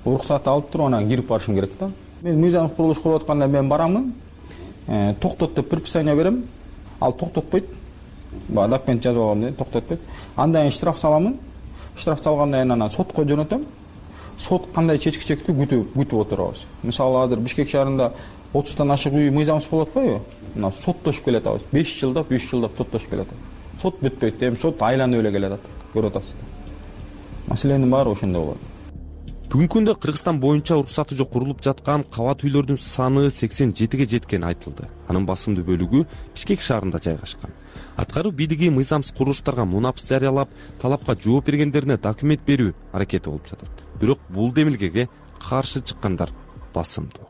Уруксат алып туруп анан кирип барышым керек да. Мен мыйзам курулуш куруп атканда мен барамын, токтот деп предписание берем, ал токтотпойт. Документ жазып алгам деп токтотпойт. Андан кийин штраф саламын. Штраф салгандан кийин анан сотко жөнөтөм. Сот кандай чечкичекти күтүп отурабыз. Мисалы, азыр Бишкек шаарында 30тан ашык үй мыйзамсыз болуп атпайбы? Мына соттошуп келет абыз. 5 жылдап, 3 жылдап соттошуп келет. Сот бүтпөйт, эми сот айланып эле келет, көрүп атасыз. Маселенин баары ошондо болот. Бүгүнкү күндө Кыргызстан боюнча уруксаты жок курулуп жаткан кабат үйлөрдүн саны 87ге жеткени айтылды. Анын басымдуу бөлүгү Бишкек шаарында жайгашкан. Аткаруу бийлиги мыйзамсыз курулуштарга мунапс жарыялап, талапка жооп бергендерине документ берүү аракети болуп жатат. Бирок бул демилгеге каршы чыккандар басымдуу.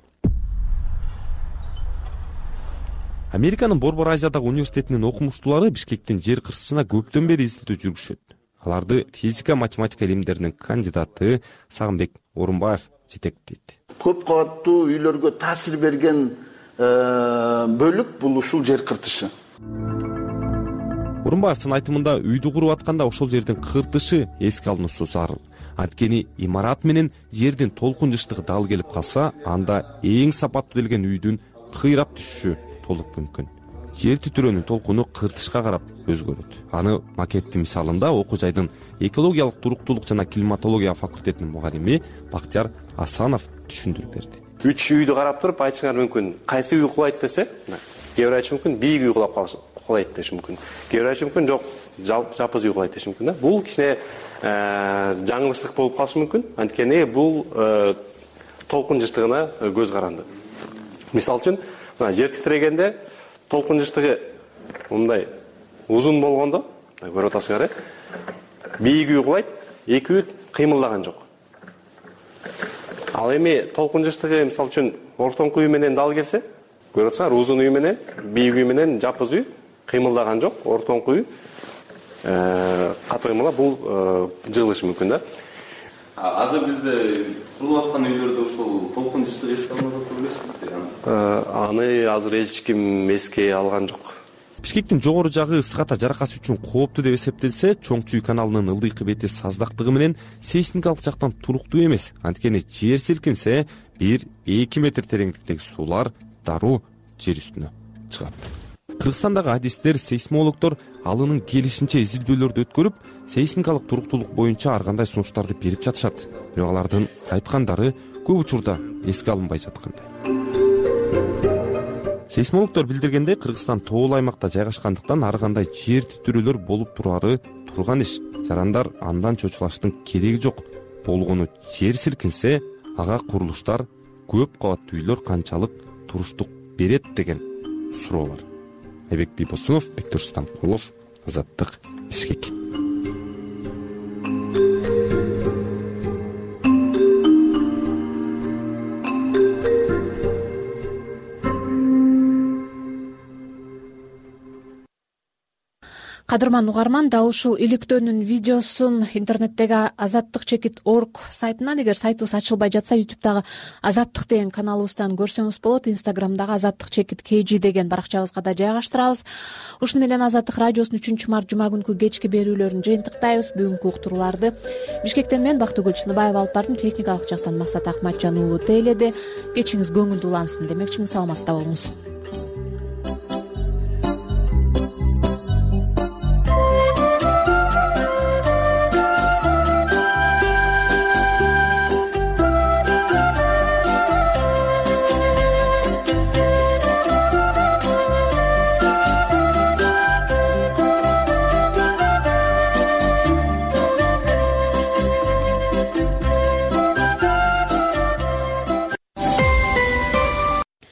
Американын Борбор Азиядагы университетинин окумуштуулары Бишкектин жер кыртышына көптөн бери изилдөө жүргүшөт. Аларды физика, математика илимдеринин кандидаты Сагынбек Орунбаев жетектейт. Көп кабаттуу үйлөргө таасир берген бөлүк бул ушул жер кыртышы. Орунбаевдин айтымында үйдү куруп атканда ошол жердин кыртышы эске алынуусу зарыл. Анткени имарат менен жердин толкун жыштыгы дал келип калса, анда эң сапаттуу делген үйдүн кыйрап түшүшү толук мүмкүн. Жер титирөөнүн толкуну кыртышка карап өзгөрөт. Аны макеттин мисалында окуу жайдын экологиялык туруктуулук жана климатология факультетинин мугалими Бактияр Асанов түшүндүрүп берди. 3 үйдү карап туруп айтышыңар мүмкүн. Кайсы үй кулайт десе, кээ бир айтышы мүмкүн, бийик үй кулайт деши мүмкүн. Кээ бир айтышы мүмкүн, жок, жапыз үй кулайт деши мүмкүн да. Бул кичине жаңылыштык болуп калышы мүмкүн. Анткени бул толкун жыштыгына көз каранды. Мисалы үчүн, жер титирегенде толкун жыштыгы мындай узун болгондо, көрүп атасыңар, бийик үй кулайт, эки үй кыймылдаган жок. Ал эми толкун жыштыгы мисалы үчүн ортоңку үй менен дал келсе, көрүп атасыңар, узун үй менен, бийик үй менен жапыз үй кыймылдаган жок, ортоңку үй катоймала бул жыгылышы мүмкүн да. Азыр бизде курулуп аткан үйлөрдө ушул толкун жыштыгы эске алынып турбайсызбы? Аны азыр эч ким эске алган жок. Бишкектин жогору жагы ысык ата жаракасы үчүн кооптуу деп эсептелсе, Чоңчуй каналынын ылдыйкы бети саздактыгы менен сейсмикалык жактан туруктуу эмес. Анткени жер силкинсе 1-2 метр тереңдиктеги суулар дароо жер үстүнө чыгат. Кыргызстандагы адистер, сейсмологдор алынын келишинче изилдөөлөрдү өткөрүп, сейсмикалык туруктуулук боюнча ар кандай сунуштарды берип жатышат. Бирок алардын айткандары көп учурда эске алынбай жаткандай. Сейсмологдор билдиргендей, Кыргызстан тоол аймакта жайгашкандыктан ар кандай жер титирөөлөр болуп турары турган иш. Жарандар андан чочулаштын кереги жок. Болгону жер силкинсе, ага курулуштар көп кабаттуу үйлөр канчалык туруштук берет деген суроо бар. Айбек Бийбосунов, Бектур Стамбулов, Азаттык, Бишкек. Кадырман угарман, дал ушул иликтөөнүн видеосун интернеттеги azattik.org сайтынан, эгер сайтыбыз ачылбай жатса, YouTube'дагы Азаттык деген каналыбыздан көрсөңүз болот. Instagram'дагы azattik.kg деген баракчабызга да жайгаштырабыз. Ушуну менен Азаттык радиосунун 3-март жума күнкү кечки берүүлөрүн жыйынтыктайбыз. Бүгүнкү уктурууларды Бишкектен мен Бактыгүл Чыныбаева алып бардым. Техникалык жактан Максат Акматжан уулу тейледи. Кечиңиз көңүлдүү улансын демекчимин. Саламатта болуңуз.